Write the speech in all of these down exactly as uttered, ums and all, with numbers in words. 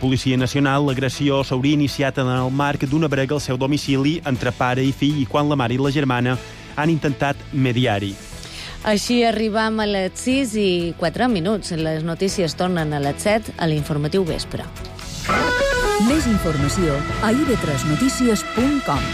Policia Nacional, l'agressió s'hauria iniciat en el marc d'una brega al seu domicili entre pare i fill i quan la mare i la germana han intentat mediar-hi. Així arribam a les sis i quatre minuts. Les notícies tornen a les set a l'informatiu vespre. Més informació a i ve tres notícies punt com.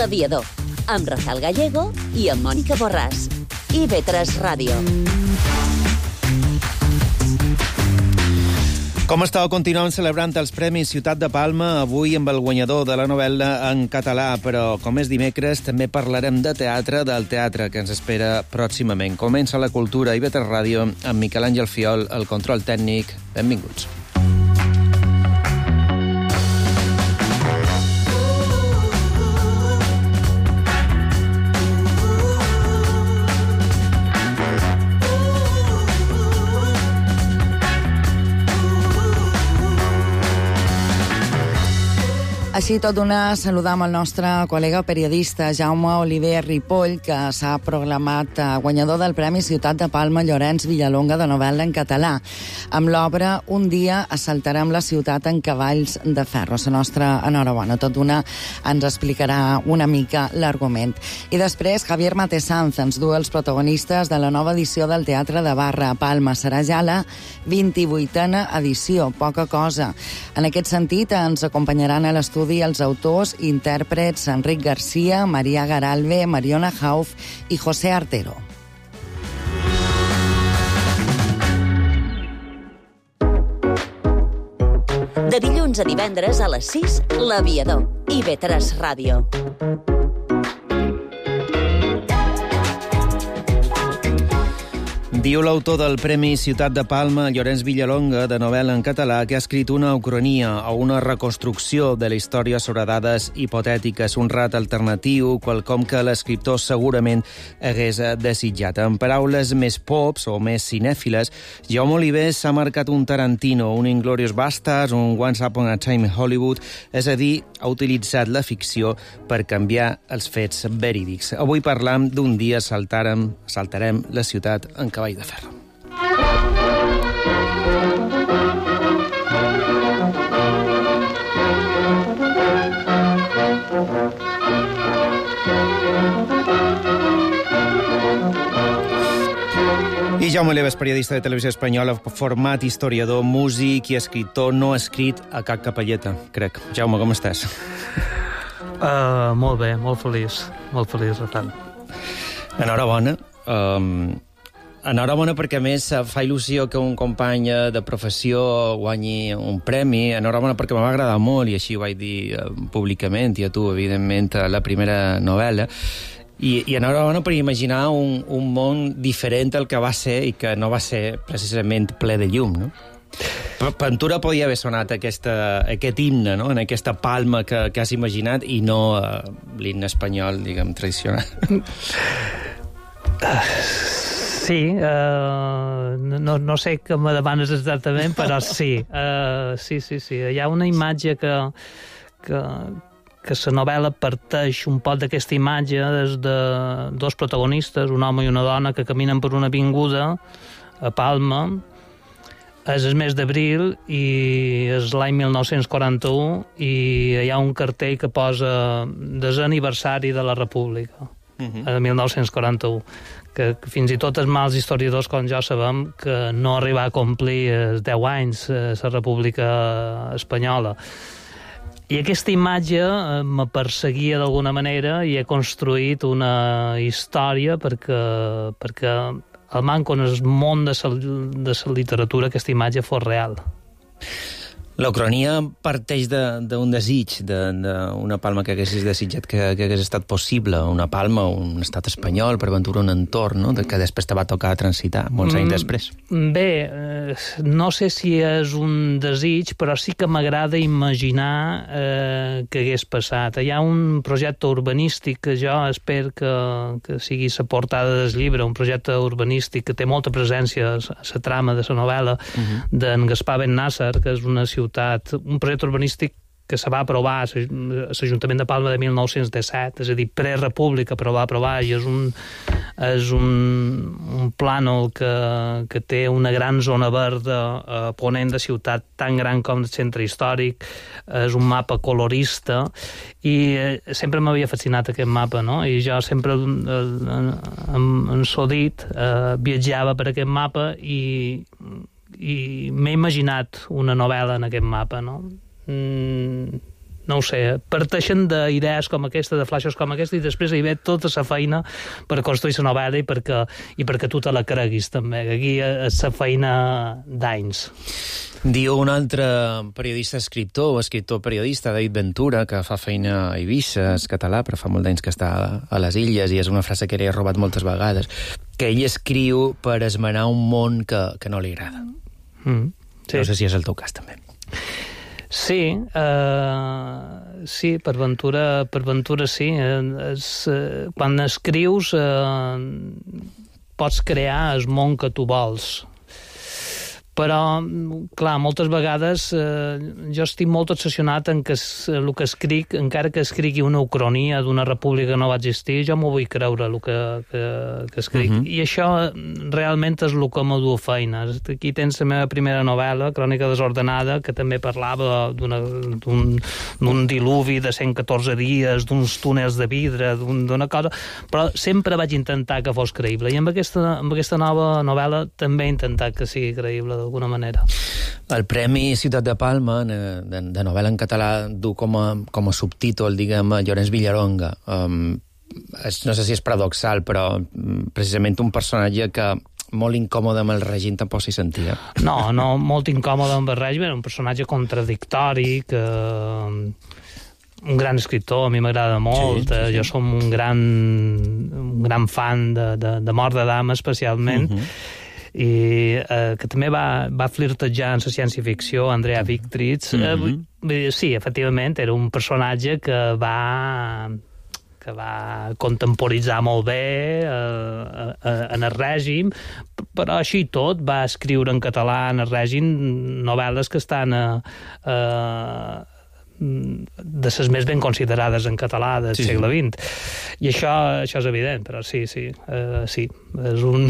L'Aviador, amb Rafael Gallego i amb Mònica Borràs. i ve tres Ràdio. Com estàu, continuem celebrant els Premis Ciutat de Palma, avui amb el guanyador de la novel·la en català, però com és dimecres també parlarem de teatre, del teatre que ens espera pròximament. Comença la cultura i ve tres Ràdio amb Miquel Àngel Fiol, el control tècnic. Benvinguts. Així tot d'una saludam al nostre col·lega periodista Jaume Oliver Ripoll, que s'ha proclamat guanyador del Premi Ciutat de Palma Llorenç Villalonga de novel·la en català. Amb l'obra Un dia assaltarem la ciutat en cavalls de ferro. La nostra enhorabona. Tot d'una ens explicarà una mica l'argument. I després Javier Matesanz ens du els protagonistes de la nova edició del Teatre de Barra a Palma. Serà ja la vint-i-vuitena edició, poca cosa. En aquest sentit ens acompanyaran a l'estudi els autors i intèrprets Enric Garcia, Maria Garalve, Mariona Hauf i José Artero. De dilluns a divendres a les sis, L'Aviador, i ve tres Ràdio. Diu l'autor del Premi Ciutat de Palma, Llorenç Villalonga, de novel·la en català, que ha escrit una ucronia o una reconstrucció de la història sobre dades hipotètiques, un rat alternatiu, quelcom que l'escriptor segurament hagués desitjat. En paraules més pops o més cinèfiles, Jaume Oliver s'ha marcat un Tarantino, un Inglourious Basterds, un Once Upon a Time in Hollywood, és a dir, ha utilitzat la ficció per canviar els fets verídics. Avui parlam d'un dia saltarem, saltarem la ciutat en cavall de ferro. I Jaume Oliver és periodista de Televisió Espanyola, format historiador, músic i escriptor, no escrit a cap capelleta, crec. Jaume, com estàs? Uh, molt bé, molt feliç. Molt feliç, Rafael. Enhorabona. Um, enhorabona perquè, a més, fa il·lusió que un company de professió guanyi un premi. Enhorabona perquè m'ha agradat molt, i així ho vaig dir uh, públicament, i a tu, evidentment, a la primera novel·la. I, i enhorabona per imaginar un, un món diferent al que va ser i que no va ser precisament ple de llum, no? Ventura podia haver sonat aquesta, aquest himne, no? En aquesta palma que, que has imaginat i no uh, l'himne espanyol, diguem, tradicional. Sí, uh, no, no sé què me demanes exactament, però sí, uh, sí, sí, sí. Hi ha una imatge que, que, que la novel·la parteix un poc d'aquesta imatge des de dos protagonistes, un home i una dona, que caminen per una avinguda a Palma. És el mes d'abril i és l'any mil nou-cents quaranta-u i hi ha un cartell que posa desè aniversari de la República, uh-huh. de mil nou-cents quaranta-u, que, que fins i tot els mals historiadors com jo sabem que no arriba a complir els deu anys la República Espanyola. I aquesta imatge me perseguia d'alguna manera i he construït una història perquè, perquè el manco en el món de la, de la literatura aquesta imatge fos real. La ucronia parteix d'un de, desig, d'una palma que haguessis desitjat que, que hagués estat possible, una palma, un estat espanyol, per aventura un entorn, no? que després te va tocar transitar, molts anys després. Bé, eh, no sé si és un desig, però sí que m'agrada imaginar eh, que hagués passat. Hi ha un projecte urbanístic que jo espero que, que sigui la portada del llibre, un projecte urbanístic que té molta presència a la trama de la novel·la uh-huh. d'en Gaspar Ben Nasser, que és una ciutat, un projecte urbanístic que se va aprovar a l'Ajuntament de Palma de mil nou-cents disset, és a dir, pre-república, però va aprovar, i és un, és un, un plànol que, que té una gran zona verda a ponent de ciutat tan gran com el centre històric, és un mapa colorista, i eh, sempre m'havia fascinat aquest mapa, no? I jo sempre, eh, en, en Sodit, eh, viatjava per aquest mapa i i m'he imaginat una novel·la en aquest mapa, no? Mm, no ho sé, parteixen d'idees com aquesta, de flaixos com aquesta, i després hi ve tota la feina per construir la novel·la i perquè, i perquè tu te la creguis, també, que aquí és la feina d'anys. Diu un altre periodista escriptor, o escriptor periodista, David Ventura, que fa feina a Eivissa, és català, però fa molt d'anys que està a les Illes, i és una frase que li he robat moltes vegades, que ell escriu per esmenar un món que, que no li agrada. Mm, sí. No sé si és el teu cas, també. Sí, uh, sí, per Ventura, per Ventura sí. Es, uh, quan escrius uh, pots crear el món que tu vols. Però, clar, moltes vegades eh, jo estic molt obsessionat en que el que escric, encara que escrigui una ucronia d'una república que no va existir, jo m'ho vull creure, el que, que, que escric. Uh-huh. I això realment és el que m'ho du feina. Aquí tens la meva primera novel·la, Crònica desordenada, que també parlava d'un diluvi de cent catorze dies, d'uns túnels de vidre, d'una cosa, però sempre vaig intentar que fos creïble. I amb aquesta, amb aquesta nova novel·la també he intentat que sigui creïble d'alguna manera. El Premi Ciutat de Palma, de, de novel·la en català, du com a, com a subtítol, diguem, Llorenç Villalonga. Um, és, no sé si és paradoxal, però precisament un personatge que molt incòmode amb el règim tampoc s'hi sentia. No, no, molt incòmode amb el règim, era un personatge contradictori, que... un gran escriptor, a mi m'agrada molt, sí, sí, sí. Jo som un gran, un gran fan de, de, de Mort de Dama, especialment, uh-huh. i eh, que també va, va flirtejar en la ciència-ficció, Andrea Victrix. Mm-hmm. eh, sí, efectivament, era un personatge que va que va contemporitzar molt bé eh, eh, en el règim, però així tot va escriure en català en el règim novel·les que estan a, a de les més ben considerades en català del sí, segle vint. I això, això és evident, però sí, sí, uh, sí, és un,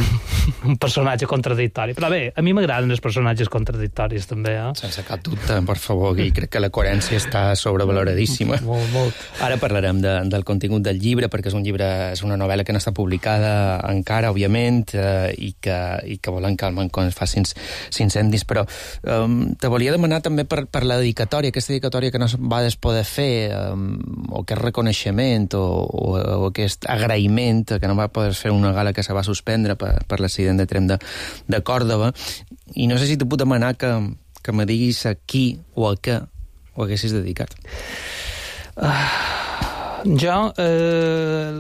un personatge contradictori. Però bé, a mi m'agraden els personatges contradictoris, també. Eh? Sense cap dubte, per favor, i crec que la coherència està sobrevaloradíssima. Molt, molt. Ara parlarem de, del contingut del llibre, perquè és un llibre, és una novel·la que no està publicada encara, òbviament, eh, i, que, i que volen calmar quan es facin incendis, però um, te volia demanar també per, per la dedicatòria, aquesta dedicatòria que no vas poder fer, um, o aquest reconeixement, o, o, o aquest agraïment, que no va poder fer una gala que se va suspendre per, per l'accident de tren de, de Còrdova, i no sé si te puc demanar que, que me diguis a qui o a què ho haguessis dedicat. Uh, jo eh,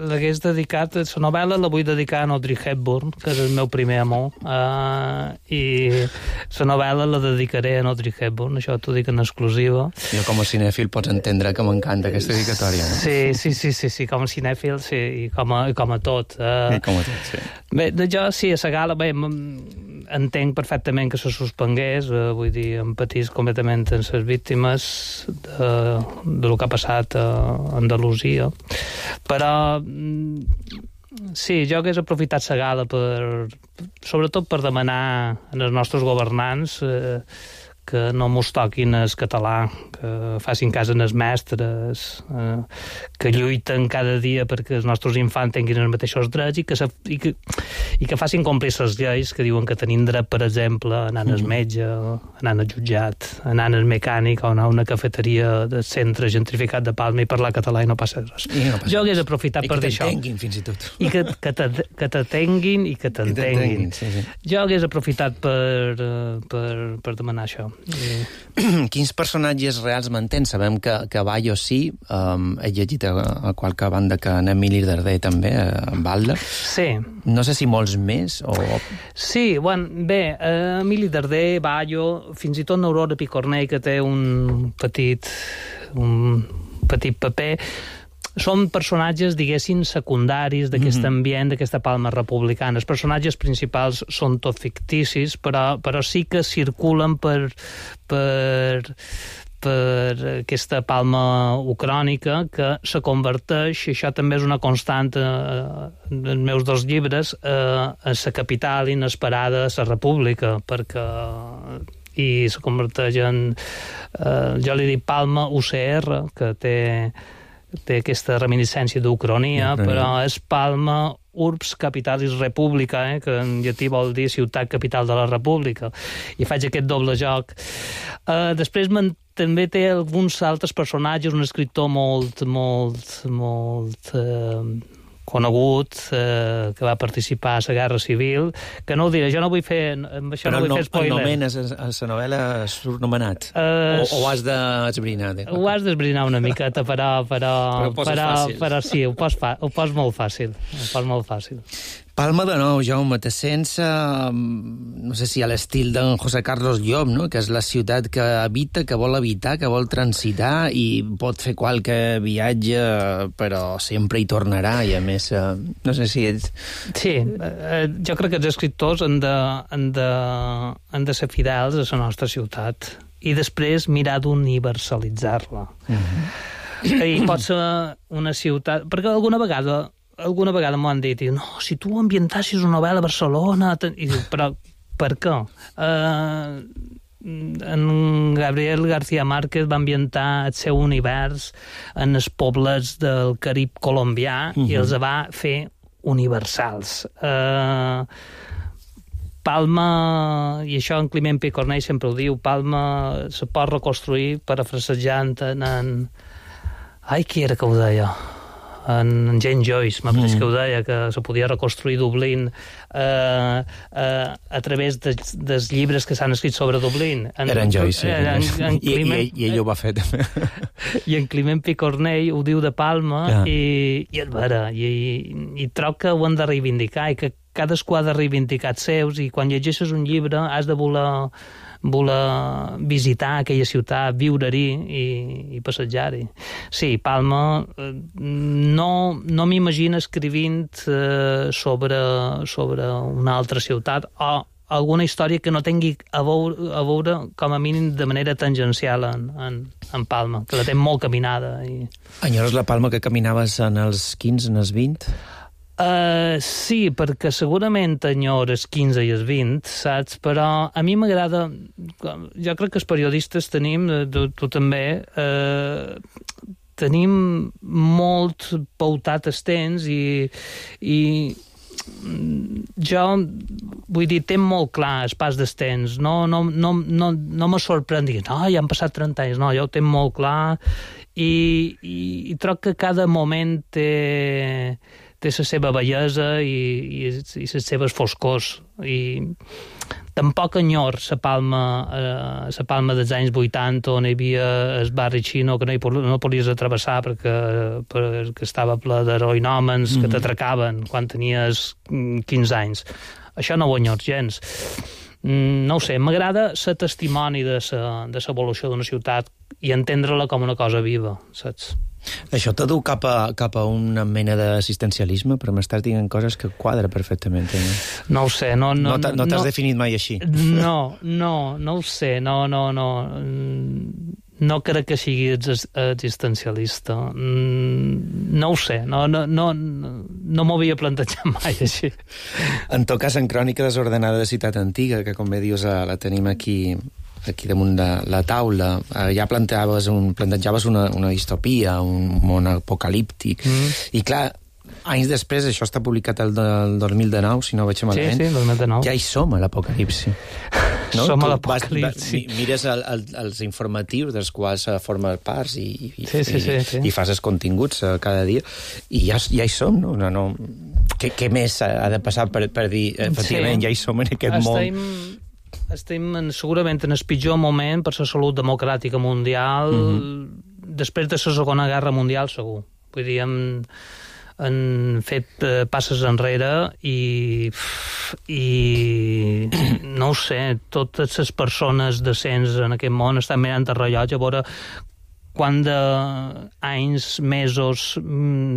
l'hagués dedicat, la novel·la la vull dedicar a Audrey Hepburn, que és el meu primer amor, uh, i la novel·la la dedicaré a Audrey Hepburn, això t'ho dic en exclusiva. Jo com a cinèfil pots entendre que m'encanta aquesta dedicatòria, no? Sí, sí, sí, sí, sí, com a cinèfil, sí, i com a, com a tot. Uh, I com a tot, sí. Bé, jo sí, a la gala, bé, entenc perfectament que se suspengués, uh, vull dir, empatís completament amb les víctimes de, de lo que ha passat a Andalusia, però sí, jo hagués aprofitat la gala per, sobretot per demanar als nostres governants eh, que no mos toquin el català, que facin cas en els mestres, eh, que lluiten cada dia perquè els nostres infants tinguin els mateixos drets i que, se, i que, i que facin complir les lleis que diuen que tenim dret, per exemple, anant al metge, anant al jutjat, anant al mecànic o anar a una cafeteria del centre gentrificat de Palma i parlar català i no passa res. No passa jo hagués aprofitat per dir això. I que t'entenguin, fins i tot. I que, que, te, que t'atenguin i que t'entenguin. Sí, sí. Jo hagués aprofitat per, per, per demanar això. I... Quins personatges reals mantén? Sabem que, que Bayo sí, um, he llegit a, a qualque banda que en Emili Darder també, en Balda. Sí. No sé si molts més o... Sí, bueno, bé, eh, Emili Darder, Bayo, fins i tot Aurora Picornell, que té un petit, un petit paper, són personatges, diguéssim, secundaris d'aquest mm-hmm. ambient, d'aquesta Palma republicana. Els personatges principals són tot ficticis, però, però sí que circulen per, per, per aquesta Palma ucrònica que se converteix, i això també és una constant eh, en els meus dos llibres, eh, a la capital inesperada de la república, perquè i se converteix en, eh, jo li dic Palma U C R, que té té aquesta reminiscència d'Ucronia, però és Palma Urbs Capitalis Republica, eh, que en llatí vol dir ciutat capital de la república, i faig aquest doble joc. Uh, després també té alguns altres personatges, un escriptor molt, molt, molt... Uh, conegut, eh, que va participar a la Guerra Civil, que no ho diré, jo no vull fer, amb això però no vull no, fer spoiler. Però el nomenes a la novel·la surt nomenat? Uh, o, o has d'esbrinar? Ho has d'esbrinar una miqueta, però... Però, però ho poses però, fàcil. Però sí, ho pos, fa, ho pos molt fàcil. Ho pos molt fàcil. Palma de nou, Jaume, te sents, eh, no sé si a l'estil d'en José Carlos Llop, no? Que és la ciutat que habita, que vol habitar, que vol transitar i pot fer qualque viatge, però sempre hi tornarà i a més, eh, no sé si ets... Sí, eh, jo crec que els escriptors han de, han de, han de ser fidels a la nostra ciutat i després mirar d'universalitzar-la. Mm-hmm. I pot ser una ciutat... Perquè alguna vegada... alguna vegada m'ho han dit, i, no, si tu ambientassis una novel·la a Barcelona... I diu, però per què? Uh, en Gabriel García Márquez va ambientar el seu univers en els pobles del Carib colombià uh-huh. i els va fer universals. Uh, Palma, i això en Climent Picornell sempre ho diu, Palma se pot reconstruir parafrasejant en... en... Ai, qui era que ho deia? En James Joyce, m'apareix mm. que ho deia, que se podia reconstruir Dublín eh, eh, a través de, dels llibres que s'han escrit sobre Dublín. En, Era en Joyce, sí. En, en Climent, I, i, i ell ho va fer, també. I en Climent Picornell ho diu de Palma, ah. i, i és vera, i, i troc que ho han de reivindicar, i que cadascú ha de reivindicar els seus, i quan llegeixes un llibre has de voler... voler visitar aquella ciutat, viure-hi i, i passejar-hi. Sí, Palma, no, no m'imagino escrivint eh, sobre, sobre una altra ciutat o alguna història que no tingui a veure, a veure com a mínim de manera tangencial en, en, en Palma, que la té molt caminada. I... Enyores la Palma que caminaves en els quinze, en els vint? Uh, sí, perquè segurament enyor els quinze i els vint, saps? Però a mi m'agrada... Jo crec que els periodistes tenim, tu, tu també, uh, tenim molt pautat el temps i, i jo, vull dir, tenc molt clar el pas del temps. No, no, no, no, no me sorprèn dir, no, ja han passat trenta anys. No, jo ho tenc molt clar i, i, i troc que cada moment té... té la seva bellesa i, i, i les seves foscors. I tampoc enyor la Palma, eh, la Palma dels anys vuitanta, on hi havia el barri xino que no, hi, no podies atravessar perquè, perquè estava ple d'heroïnòmens mm. que t'atracaven quan tenies quinze anys. Això no ho enyor gens. No ho sé, m'agrada ser testimoni de l'evolució d'una ciutat i entendre-la com una cosa viva, saps? Això t'ha dut cap a, cap a una mena d'assistencialisme, però m'estàs dient coses que quadra perfectament. Eh? No ho sé. No, no, no t'has no, no, definit mai així. No, no, no ho sé. No, no, no. No crec que sigui existencialista. No ho sé. No, no, no, no m'ho havia plantejat mai així. En tot cas, en Crònica desordenada de Ciutat Antiga, que com bé dius la tenim aquí... aquí damunt de la taula, eh, ja plantejaves, un, plantejaves una, una distopia, un món apocalíptic, mm. i clar, anys després, això està publicat el, el dos mil dinou, si no ho veig malament, sí, sí, dos mil dinou. Ja hi som a l'apocalipsi. No? Som tu a l'apocalipsi. Vas, mires el, el, els informatius dels quals formes parts i, i, sí, sí, sí, i, sí. i fas els continguts cada dia, i ja, ja hi som, no? no, no què, què més ha de passar per, per dir, efectivament, sí. ja hi som en aquest Estem... món estem en, segurament en el pitjor moment per la salut democràtica mundial, mm-hmm. després de la Segona Guerra Mundial, segur. Vull dir, hem, hem fet eh, passes enrere i, i no ho sé, totes les persones decents en aquest món estan mirant el rellotge a veure quant d'anys, mesos,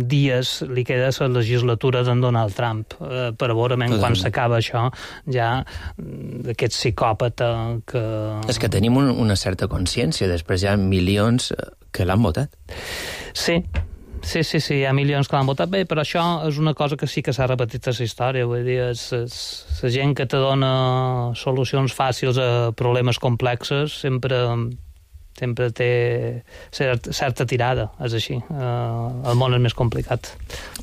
dies li queda a la legislatura d'en Donald Trump, eh, per veure quan s'acaba això, ja aquest psicòpata que... És que tenim un, una certa consciència, després hi ha milions que l'han votat. Sí, sí, sí, sí, hi ha milions que l'han votat bé, però això és una cosa que sí que s'ha repetit a la història, vull dir, és, és, la gent que te dona solucions fàcils a problemes complexes sempre... sempre té certa, certa tirada, és així. Uh, el món és més complicat.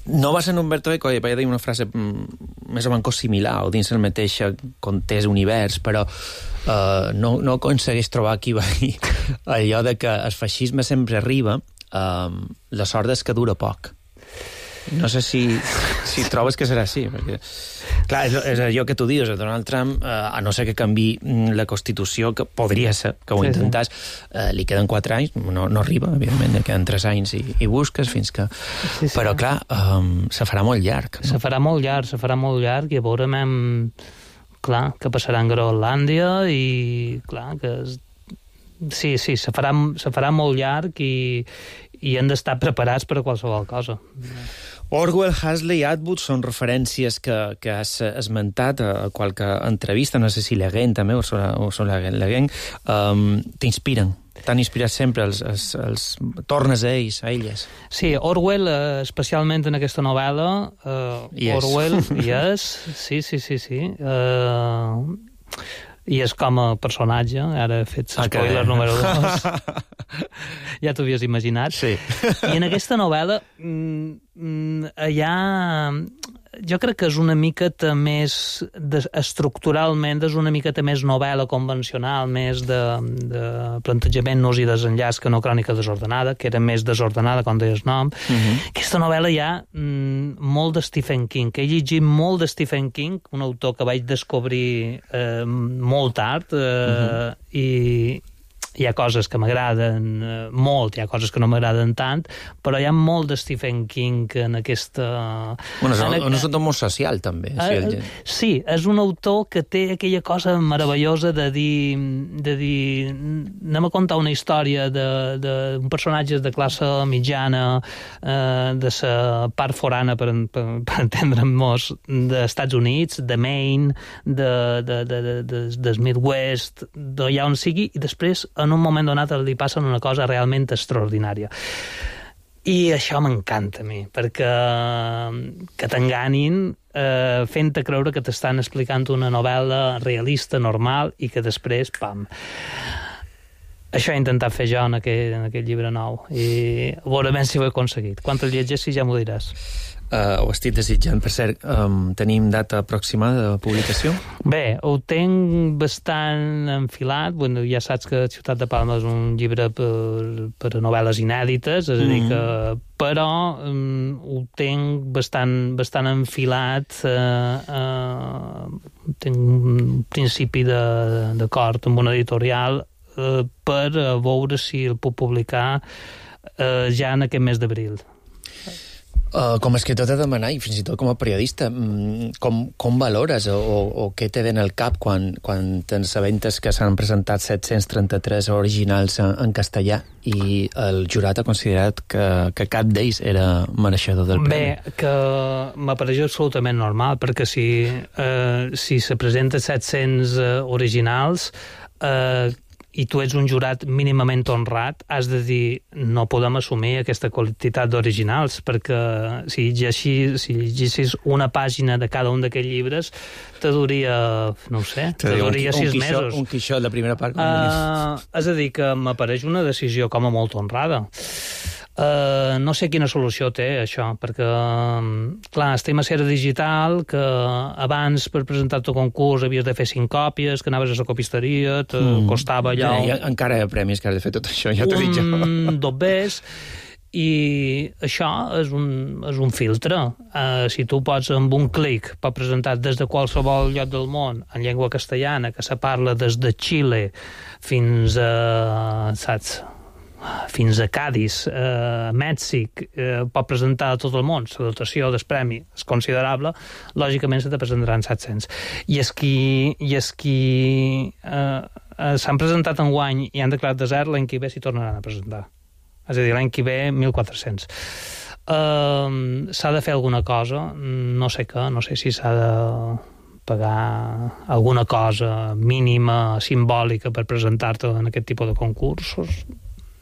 No va ser en Umberto Eco, i vaig dir una frase mm, més o menys similar, o dins el mateix context univers, però uh, no, no aconsegueix trobar qui va dir allò de que el feixisme sempre arriba, uh, la sort és que dura poc. No sé si, si trobes que serà així, perquè... Clar, és, és allò que tu dius, Donald Trump, eh, a no ser que canvi la Constitució, que podria ser, que ho sí, intentàs, sí. eh, li queden quatre anys, no, no arriba, evidentment, li queden tres anys i, i busques fins que... Sí, sí. Però, clar, um, se farà molt llarg. No? Se farà molt llarg, se farà molt llarg, i veurem, clar, que passarà en Groenlàndia, i, clar, que... És... Sí, sí, se farà, se farà molt llarg i, i hem d'estar preparats per a qualsevol cosa. Orwell, Huxley, Atwood són referències que, que has esmentat a qualque entrevista, no sé si Le Guin també, o són Le Guin, um, t'inspiren? T'han inspirat sempre, els, els, els tornes a ells, a elles? Sí, Orwell, eh, especialment en aquesta novel·la, eh, yes. Orwell, yes, sí, sí, sí, sí. Uh, I és com a personatge, ara he fet spoiler okay. número dos. Ja t'ho havies imaginat. Sí. I en aquesta novel·la mm, hi ha... Jo crec que és una miqueta més... De, estructuralment és una miqueta més novel·la convencional, més de, de plantejament-nos i desenllaç que no crònica desordenada, que era més desordenada, com deies nom. Uh-huh. Aquesta novel·la hi ha mm, molt de Stephen King, que he llegit molt de Stephen King, un autor que vaig descobrir eh, molt tard, eh, uh-huh. i... hi ha coses que m'agraden molt, hi ha coses que no m'agraden tant, però hi ha molt de Stephen King en aquesta... Bueno, és, en... és un autor molt social, també. Uh, sí, el... sí, és un autor que té aquella cosa meravellosa de dir... de dir anem a contar una història d'un personatge de classe mitjana, eh, de la part forana, per, per, per entendre'ns, dels Estats Units, de Maine, de, de, de, de, de, del Midwest, d'allà on sigui, i després, en un moment donat li passa una cosa realment extraordinària. I això m'encanta a mi, perquè que t'enganin eh, fent-te creure que t'estan explicant una novel·la realista, normal, i que després, pam... Això he intentat fer jo en aquell, en aquell llibre nou, i a veure ben si ho he aconseguit. Quan el llegeixi ja m'ho diràs. Uh, ho estic desitjant. Per cert, um, tenim data aproximada de publicació? Bé, ho tenc bastant enfilat. Bueno, ja saps que Ciutat de Palma és un llibre per, per a novel·les inèdites, és a dir que... Però um, ho tenc bastant, bastant enfilat. Uh, uh, tenc un principi d'acord amb una editorial uh, per veure si el puc publicar uh, ja en aquest mes d'abril. Uh, com a escriptor t'he de demanar, i fins i tot com a periodista, com, com valores o, o, o què te ve en el cap quan, quan t'assabentes que s'han presentat set-cents trenta-tres originals en, en castellà i el jurat ha considerat que, que cap d'ells era mereixedor del premi? Bé, que m'apareix absolutament normal, perquè si, eh, si se presenten set-cents eh, originals... Eh, i tu ets un jurat mínimament honrat, has de dir no podem assumir aquesta quantitat d'originals, perquè si llegissis, si llegissis una pàgina de cada un d'aquests llibres, te duria, no ho sé, te, te duria sis un mesos. Un quixot, la primera part. Uh, és a dir, que m'apareix una decisió com a molt honrada. Uh, no sé quina solució té això, perquè clar, estem a Cera Digital, que abans per presentar-te al concurs havies de fer cinc còpies, que anaves a la copisteria, te mm. costava allò... Ja, ja, encara hi ha premis que has de fer tot això, ja t'ho dic jo. Un dobbers, I això és un, és un filtre. Uh, si tu pots amb un clic pots presentar des de qualsevol lloc del món en llengua castellana, que se parla des de Xile fins a, saps, fins a Cádiz, a Mèxic, eh, pot presentar a tot el món. La dotació del premi és considerable, lògicament se te presentaran set-cents. I és qui, i és qui eh, eh, s'han presentat enguany i han declarat desert, l'any que ve s'hi tornaran a presentar. És a dir, l'any que ve, mil quatre-cents. Uh, s'ha de fer alguna cosa, no sé què, no sé si s'ha de pagar alguna cosa mínima, simbòlica, per presentar-te en aquest tipus de concursos.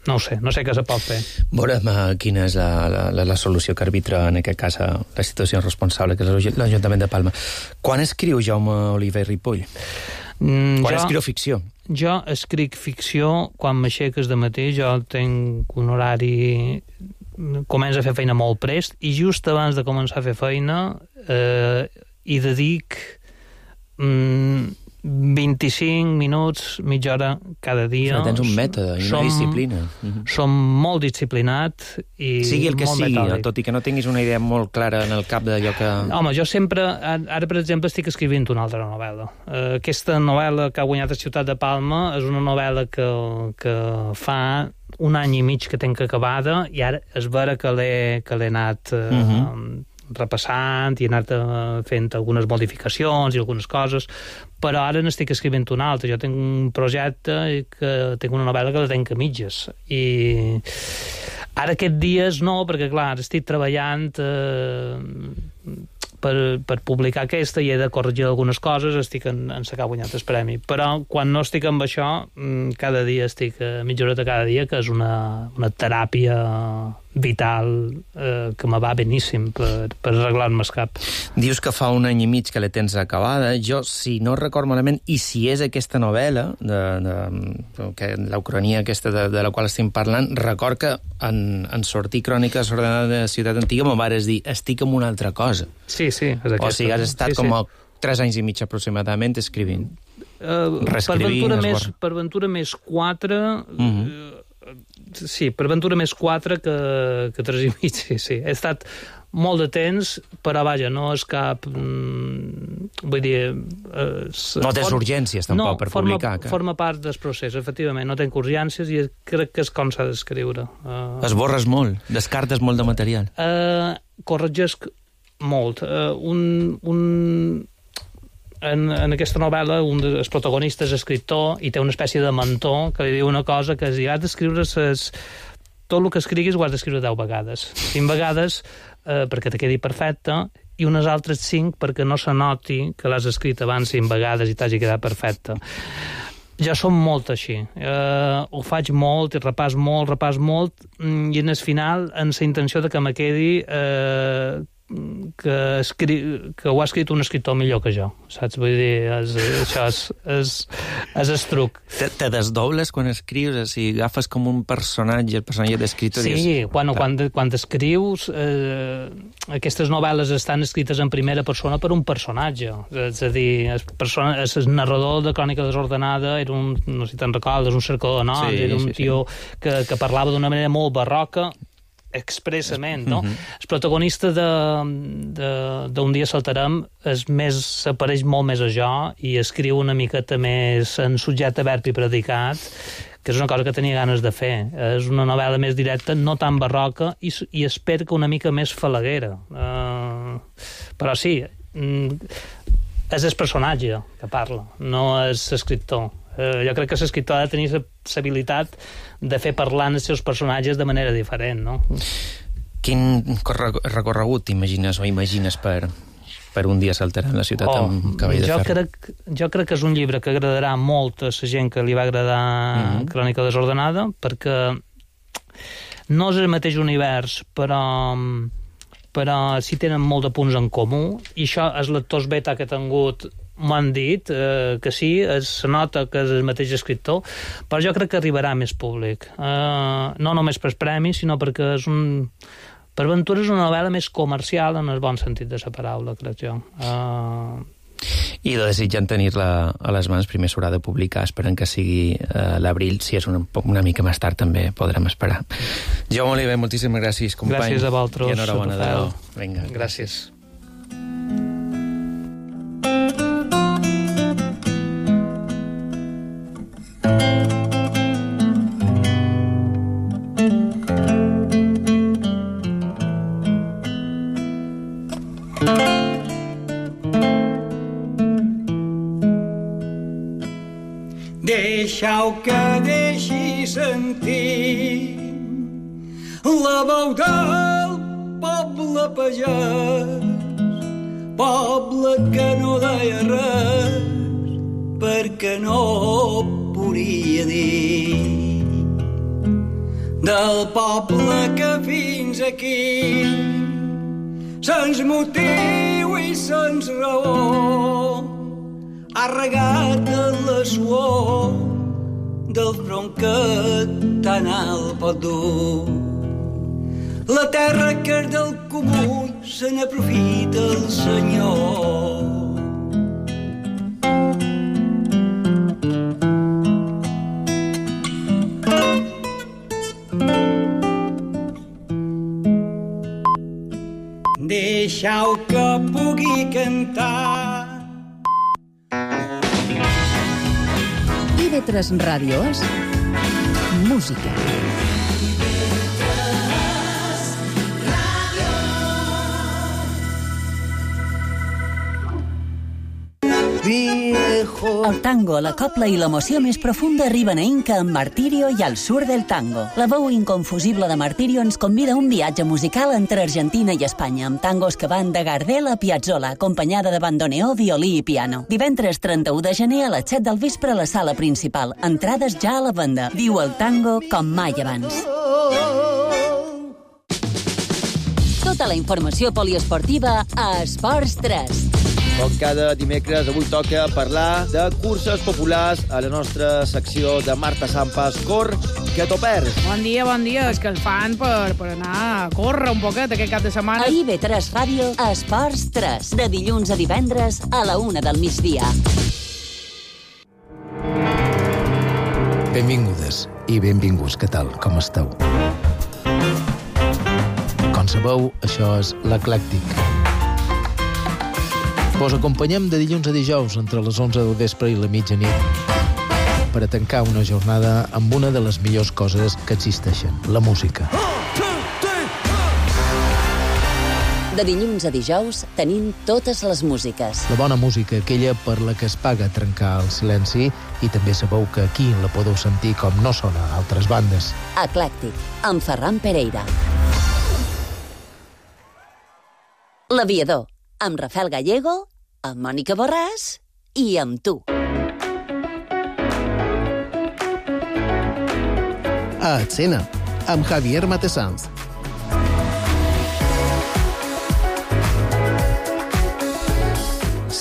No ho sé, no sé què se pot fer. Veurem uh, quina és la, la, la solució que arbitra, en aquest cas, la situació responsable, que és l'Ajuntament de Palma. Quan escriu Jaume Oliver Ripoll? Mm, quan jo, escriu ficció? Jo escric ficció quan m'aixeques de matí. Jo tenc un horari... Començo a fer feina molt prest i just abans de començar a fer feina eh, hi dedic mm, vint-i-cinc minuts, mitja hora cada dia. Però tens un mètode i una som, disciplina. Mm-hmm. Som molt disciplinat i sigui el que molt sigui, metòdic. Tot i que no tinguis una idea molt clara en el cap d'allò que... Home, jo sempre... Ara, per exemple, estic escrivint una altra novel·la. Uh, aquesta novel·la que ha guanyat a Ciutat de Palma és una novel·la que, que fa un any i mig que tenc acabada i ara és vera que l'he, que l'he anat... Uh, mm-hmm. repassant i he anat fent algunes modificacions i algunes coses, però ara n'estic escrivint una altra. Jo tinc un projecte que tinc una novel·la que la tenc a mitges i ara aquests dies no, perquè clar, estic treballant eh, per, per publicar aquesta i he de corregir algunes coses, estic en, en sacar guanyat el premi, però quan no estic amb això cada dia estic a mitja horeta cada dia, que és una, una teràpia vital eh, que me va beníssim per, per arreglar-me el cap. Dius que fa un any i mig que la tens acabada. Jo, si no record malament, i si és aquesta novel·la, de, de, que, la ucronia aquesta de, de la qual estem parlant, record que en, en sortir Cròniques ordenades de Ciutat Antiga me vares dir, estic en una altra cosa. Sí, sí, és aquesta. O sigui, has estat sí, com sí. a tres anys i mig aproximadament escrivint. Uh, per Ventura més, per Ventura més quatre... Uh-huh. uh, Sí, per Ventura més quatre que, que tres i mig, sí, sí. He estat molt de temps, però vaja, no és cap... Mm, vull dir... És, no tens for... urgències, tampoc, no, per forma, publicar. Que... forma part del procés, efectivament. No tenc urgències i crec que és com s'ha d'escriure. Uh... Esborres molt, descartes molt de material. Uh, corregesc molt. Uh, un... un... En, en aquesta novel·la un dels protagonistes és escriptor i té una espècie de mentor que li diu una cosa que és dir, has d'escriure ses... tot el que escriguis ho has d'escriure deu vegades, cinc vegades eh, perquè te quedi perfecte i unes altres cinc perquè no se noti que l'has escrit abans cinc vegades i t'hagi quedat perfecte. Ja som molt així. Eh, ho faig molt i repàs molt, repàs molt i en el final en la intenció de que me quedi eh, que, escri... que ho ha escrit un escriptor millor que jo, saps? Vull dir, és, això és, és, és el truc. Te, te desdobles quan escrius? O sigui, agafes com un personatge, el personatge d'escriptor? Sí, dius... quan, quan, quan escrius, eh, aquestes novel·les estan escrites en primera persona per un personatge. És a dir, el, persona, el narrador de Crònica desordenada era un, no sé si te'n recordes, un cercador de noms, sí, era un sí, tio sí. Que, que parlava d'una manera molt barroca, expressament, no? Uh-huh. El protagonista d'un dia saltarem és més, s'apareix molt més a jo i escriu una miqueta més en subjecte, verb i predicat, que és una cosa que tenia ganes de fer. És una novel·la més directa, no tan barroca, i, i espero que una mica més falaguera. Uh, però sí, és el personatge que parla, no és l'escriptor. Uh, jo crec que l'escriptor ha de tenir l'habilitat de fer parlar els seus personatges de manera diferent, no? Quin recorregut t'imagines o imagines per, per un dia saltarà en la ciutat oh, amb cavall de jo ferro? Crec, jo crec que és un llibre que agradarà molt a la gent que li va agradar mm-hmm. Crònica desordenada, perquè no és el mateix univers, però, però sí tenen molt de punts en comú, i això els lectors beta que he tingut m'han dit eh, que sí, es nota que és el mateix escriptor, però jo crec que arribarà a més públic. Eh, no només per premis, sinó perquè és un... Per Ventura és una novel·la més comercial en el bon sentit de la paraula, crec jo. Eh... i desitjant tenir-la a les mans. Primer s'haurà de publicar, esperant que sigui eh, l'abril. Si és una, una mica més tard també podrem esperar. Jaume Oliver, moltíssimes gràcies, company. Gràcies a vosaltres. I enhorabona. Adéu. Vinga, gràcies. Deixeu que deixi sentir la veu del poble pagès, poble que no deia res perquè no podia dir, del poble que fins aquí sens motiu i sens raó ha regat en la suor del front que tan alt pot dur. La terra que és del comú se n'aprofita el Senyor. Deixeu que pugui cantar. I ve tres Ràdio és música. El tango, la copla i l'emoció més profunda arriben a Inca amb Martirio i al sur del tango. La veu inconfusible de Martirio ens convida a un viatge musical entre Argentina i Espanya, amb tangos que van de Gardel a Piazzolla, acompanyada de bandoneó, violí i piano. Divendres trenta-u de gener a les set del vespre a la sala principal. Entrades ja a la venda. Viu el tango com mai abans. Tota la informació poliesportiva a Esports tres. Com cada dimecres, avui toca parlar de curses populars a la nostra secció de Marta Sampas. Cor, que t'ho perds. Bon dia, bon dia. És que el fan per, per anar a córrer un poquet aquest cap de setmana. A I ve tres Ràdio, a Esports tres. De dilluns a divendres a la una del migdia. Benvingudes i benvinguts. Què tal? Com esteu? Com sabeu, això és l'Eclèctic. Vos acompanyem de dilluns a dijous entre les onze del vespre i la mitjanit per a tancar una jornada amb una de les millors coses que existeixen, la música. De dilluns a dijous tenim totes les músiques. La bona música, aquella per la que es paga trencar el silenci, i també sabeu que aquí la podeu sentir com no sona a altres bandes. Eclèctic, amb Ferran Pereira. L'Aviador, amb Rafael Gallego, amb Mònica Borràs i amb tu. A Escena, amb Javier Matesanz.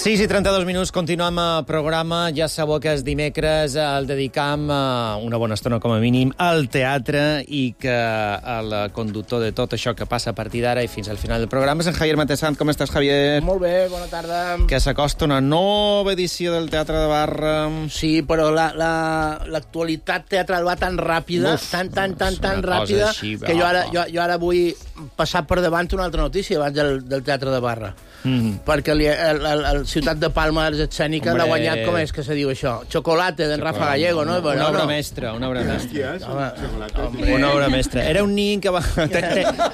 sis i trenta-dos minuts, continuem el programa. Ja sabeu que els dimecres el dedicam una bona estona, com a mínim, al teatre, i que el conductor de tot això que passa a partir d'ara i fins al final del programa és en Javier Matesanz. Com estàs, Javier? Molt bé, bona tarda. Que s'acosta una nova edició del Teatre de Barra. Sí, però l'actualitat teatral va tan ràpida, Uf, tan, tan, tan, tan ràpida, així, que jo ara, jo, jo ara vull passar per davant una altra notícia abans del, del Teatre de Barra. Mm. Perquè el, el, el, el Ciutat de Palma Arts Escènica l'ha guanyat, com és que se diu això? Chocolate, d'en Rafa Gallego, no? Una no, obra no. mestra, una obra mestra. Home, una obra mestra. Era un nin que va...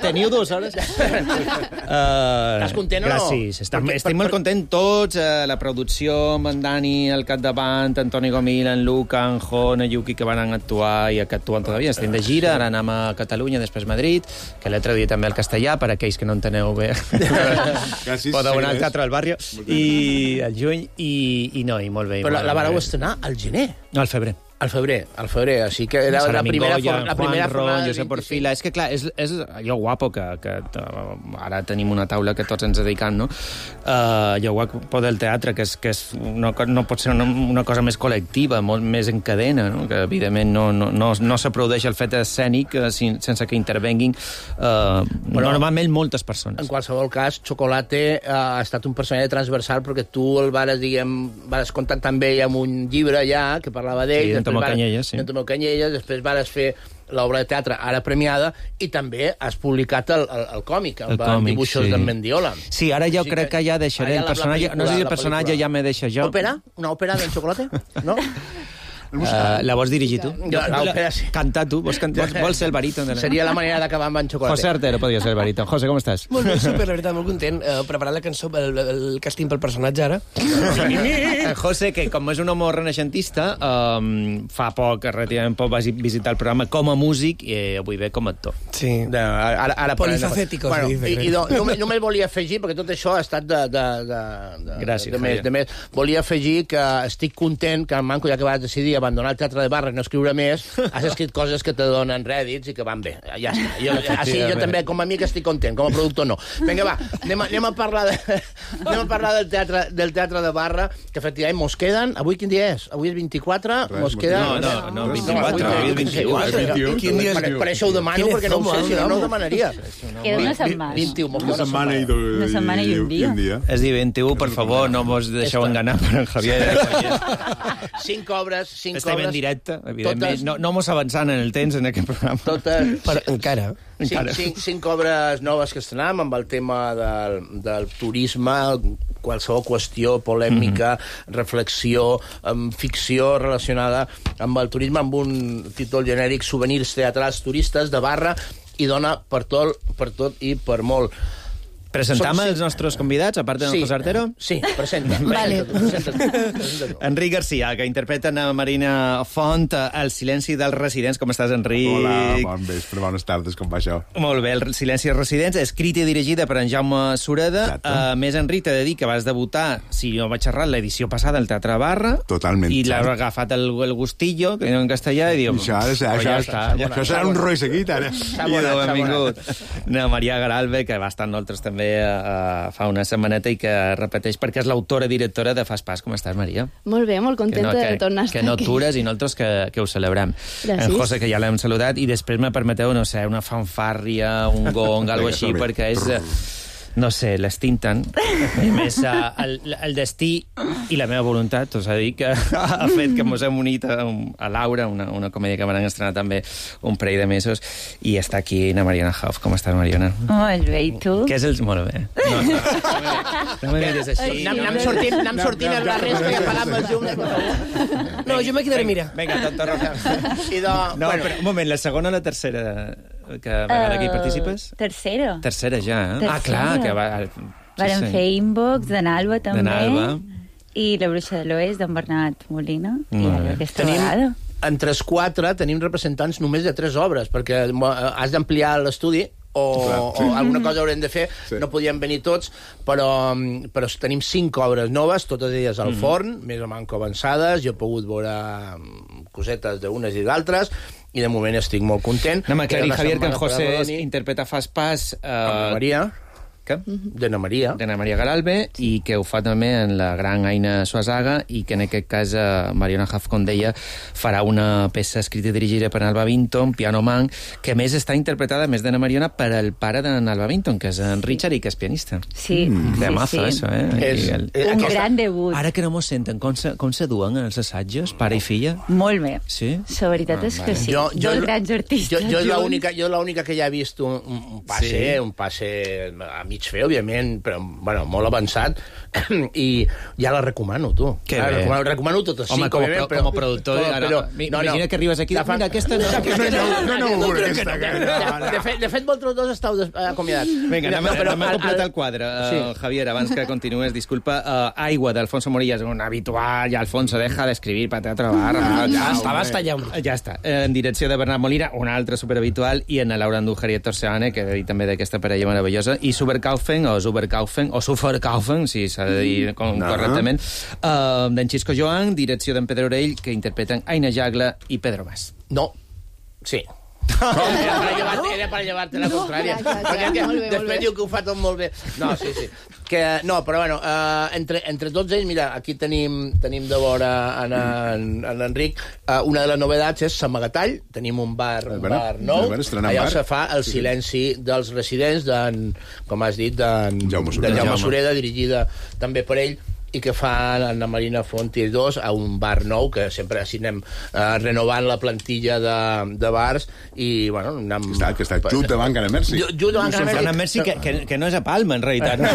Teniu dues hores? Estàs content o no? Gràcies. Estem, per, estem per, molt contents tots. Uh, la producció, amb en Dani al capdavant, Antoni Gomil, en Luca, en Jon, en Yuki, que van actuar i que actuen todavía. Estem de gira, ara anem a Catalunya, després Madrid, que l'he traduït també al castellà, per aquells que no enteneu bé. Podeu anar al Teatre del Barrio. I al juny, i, i no, i molt bé. Però la, la vareu estrenar al gener. No, al febrer. Al febrer, al febrer, així que era la primera, Goya, la primera Juanro, forma... Josep Orfila... És que, clar, és, és allò guapo que, que ara tenim una taula que tots ens dedicam, no? Uh, allò guapo del teatre, que, és, que és una, no pot ser una, una cosa més col·lectiva, molt més en cadena, no? Que, evidentment, no, no, no, no s'aplaudeix el fet escènic uh, sense que intervenguin uh, normalment moltes persones. En qualsevol cas, Chocolate uh, ha estat un personatge transversal perquè tu el vares, diguem, vares contactar amb ell amb un llibre allà que parlava d'ell, sí, Tomeu Canyelles, sí. Tomeu Canyelles, després vares fer l'obra de teatre ara premiada i també has publicat el, el, el còmic amb el còmic, dibuixos sí. d'en Mendiola. Sí, ara jo sí crec que, que ja deixaré el personatge, la, la, no sé si el personatge ja me deixa jo. Òpera? Una òpera d'en Chocolate? No? Uh, la vols dirigir tu? Ja, l'òpera, sí. Cantar tu? Vols, can... vols, vols ser el baríton? De la... Seria la manera d'acabar amb en Chocolate. José Artero podria ser el baríton. José, com estàs? Molt bé, super, la veritat, molt content. Uh, preparant la cançó, el, el càsting pel personatge ara. José, que com és un home renaixentista, um, fa poc, relativament poc, vas visitar el programa com a músic i avui ve com a actor. Sí. De, ara, ara polifacético, bueno, se dice. I, i no, només, només volia afegir, perquè tot això ha estat de... de, de, de Gràcies, de, de, més, de més. Volia afegir que estic content que en Manco, ja que vas decidir abandonar el teatre de barra i no escriure més, has escrit coses que te donen rèdits i que van bé. Ja està. Jo, així, jo també, com a amic, estic content. Com a productor, no. Vinga, va, anem a, anem a parlar, de, anem a parlar del, teatre, del teatre de barra, que efectivament mos queden... Avui quin dia és? Avui és vint-i-quatre? Mos queden... No, no, no, vint-i-quatre. Avui és vint-i-u. Quin dia és? Per això ho demano, perquè no ho sé, si no, no ho demanaria. Queda una setmana. vint-i-u. Una setmana i una setmana i un dia. És dir, vint-i-u, per favor, no mos deixeu enganar per en Javier. Cinc obres, cinc obres... Estem en directe, evidentment. No, no mos avançant en el temps en aquest programa. Totes... Però encara. Cinc, cinc, cinc obres noves que estrenam amb el tema del, del turisme, qualsevol qüestió polèmica, mm-hmm. reflexió, amb ficció relacionada amb el turisme, amb un títol genèric, souvenirs teatrals turistes de barra, i dona per tot, per tot i per molt. Presentam Som, sí. els nostres convidats, a part de sí. José Artero? Sí, presenta. Vale. Presenta, presenta Enric Garcia, que interpreta a Marina Font, El silenci dels residents. Com estàs, Enric? Hola, bon vespre, bones tardes, com va això? Molt bé, El silenci dels residents, escrit i dirigida per en Jaume Sureda. A més, Enric, t'he de dir que vas debutar, si no vaig errar, l'edició passada al Teatre Barra. Totalment. I l'has agafat el, el gustillo, que en castellà, i diu... Això, això, això, ja està, ja, això serà un roi seguit, ara. I de benvingut. Na Maria Garalbe, que va estar amb nosaltres també Uh, fa una setmaneta i que repeteix perquè és l'autora directora de Fas Pas. Com estàs, Maria? Molt bé, molt contenta no, que, de tornar a estar aquí. Que no aquí. tures i nosaltres que, que ho celebrem. Gràcies. En José, que ja l'hem saludat, i després me permeteu, no sé, una fanfàrria, un gong, alguna així, perquè és... no sé, l'estinten. I a més, el, el destí i la meva voluntat, t'ho s'ha dit, que ha fet que mos hem unit a, a Laura, una, una comèdia que van estrenar també un parell de mesos, i està aquí na Mariona Hoff. Com estàs, Mariona? Molt bé, i tu? Què és el... Molt bé. No, no, no me mires així. Anem sortint, anem sortint els barris que ja pagam els llums, per favor. No, jo me quedaré, mira. Vinga, tonto roja. I de... No, bueno. Però, un moment, la segona o la tercera que vegada que hi participes? Tercera. Tercera ja, eh? Tercera. Ah, clar, que va... Varen fer Inbox, d'en Alba també. D'en Alba. I La bruixa de l'Oest, d'en Bernat Molina. I aquesta tenim, vegada. Entre els quatre tenim representants només de tres obres, perquè has d'ampliar l'estudi o, Clar, sí. o alguna cosa haurem de fer. Sí. No podíem venir tots, però, però tenim cinc obres noves, totes elles al mm. forn, més o manco avançades. Jo he pogut veure cosetes d'unes i d'altres, i de moment estic molt content. No m'aclarir, Javier, que en José interpreta Fas Pas... Uh, Maria... Què? D'Anna Maria. D'Anna Maria Garalbe, sí. I que ho fa també en la gran Aina Suazaga, i que en aquest cas uh, Mariona Hoff, com deia, farà una peça escrita i dirigida per Alba Vinton, Piano Man, que més està interpretada, més d'Anna Mariona, per el pare d'en Alba Vinton, que és en Richard, i que és pianista. Sí, mm. De sí, mazo, sí. Eso, eh? És, el... Un aquesta... gran debut. Ara que no mos senten, com se, com se duen els assajos, pare i filla? Molt bé. Sí? La veritat ah, és que vale. sí. Jo, jo, Dos grans artistes. Jo, jo, l'única, jo l'única que ja he vist un, un passe, sí. un passe a mig fer, òbviament, però, bueno, molt avançat, i ja la recomano, tu. Que ja, bé. Recomano, recomano totes Home, cinc, com, òbviament, però, com a productor, però, ara, però, no, imagina no. que arribes aquí, mira, aquesta no... No, no, no, aquesta... De fet, de fet vosaltres dos estàu acomiadats. Vinga, anem, anem, anem a completar el quadre. Sí. Uh, Javier, abans que continues, disculpa, uh, Aigua, d'Alfonso Morillas, un habitual, ja Alfonso deja d'escribir para teatro barra. Ah, ja està, basta ja. Ja està. En direcció de Bernat Molina, un altre superhabitual, i en Laura Andújar i Héctor Seane, que he dit també d'aquesta parella meravellosa, i super Superkaufen, o Superkaufen, o Superkaufen, si s'ha de dir com, no. correctament, uh, d'en Xisco Joan, direcció d'en Pedro Orell, que interpreten Aina Jagla i Pedro Mas. No. Sí. Era per llevar-te, era per llevar-te la contrària. No, ja, ja, ja. Molt bé, després molt bé. Diu que ho fa tot molt bé. No, sí, sí. Que, no, però bueno, uh, entre, entre tots ells, mira, aquí tenim, tenim de veure en, en, en Enric, uh, una de les novedats és Samagatall, tenim un bar, un bar nou, allà se fa El silenci dels residents, com has dit, d'en Jaume Sureda, dirigida també per ell, i que fa Anna Marina Font i dos a un bar nou, que sempre així anem uh, renovant la plantilla de, de bars, i, bueno... Anem... Que està, que està just davant Can Merci. Just davant Can Merci. Merci, que, que, que no és a Palma, en realitat. No?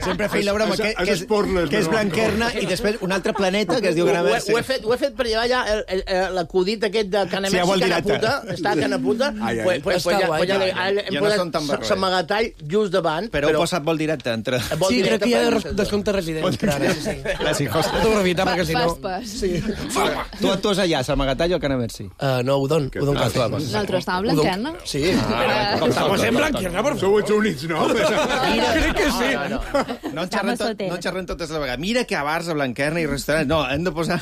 Sempre feia la broma que, que, és, que és Blanquerna i després un altre planeta que es diu Can Merci. Ho, ho, he, fet, ho he fet per llevar ja l'acudit aquest de Can Merci, sí, Canaputa. Està a Canaputa. Ai, ai. Pues, pues, pues, ja, pues, ja, ja, hem posat Samagatall just davant. Però heu posat vol directe entre... Sí, crec que hi ha descompte resident. Ara, sí, sí. Gràcies, Costa. Fotografiar, perquè si no... Sí. Tu actues allà, a Samagatall o a Can Merci? Uh, no, Udon. Udon Nosaltres estàvem a Blanquerna. Sí. Com estamos en Blanquerna, por favor. Sou ets units, no? Crec que sí. No en xerrem totes la vegada. Mira que a bars, a Blanquerna i restaurants... No, hem de posar...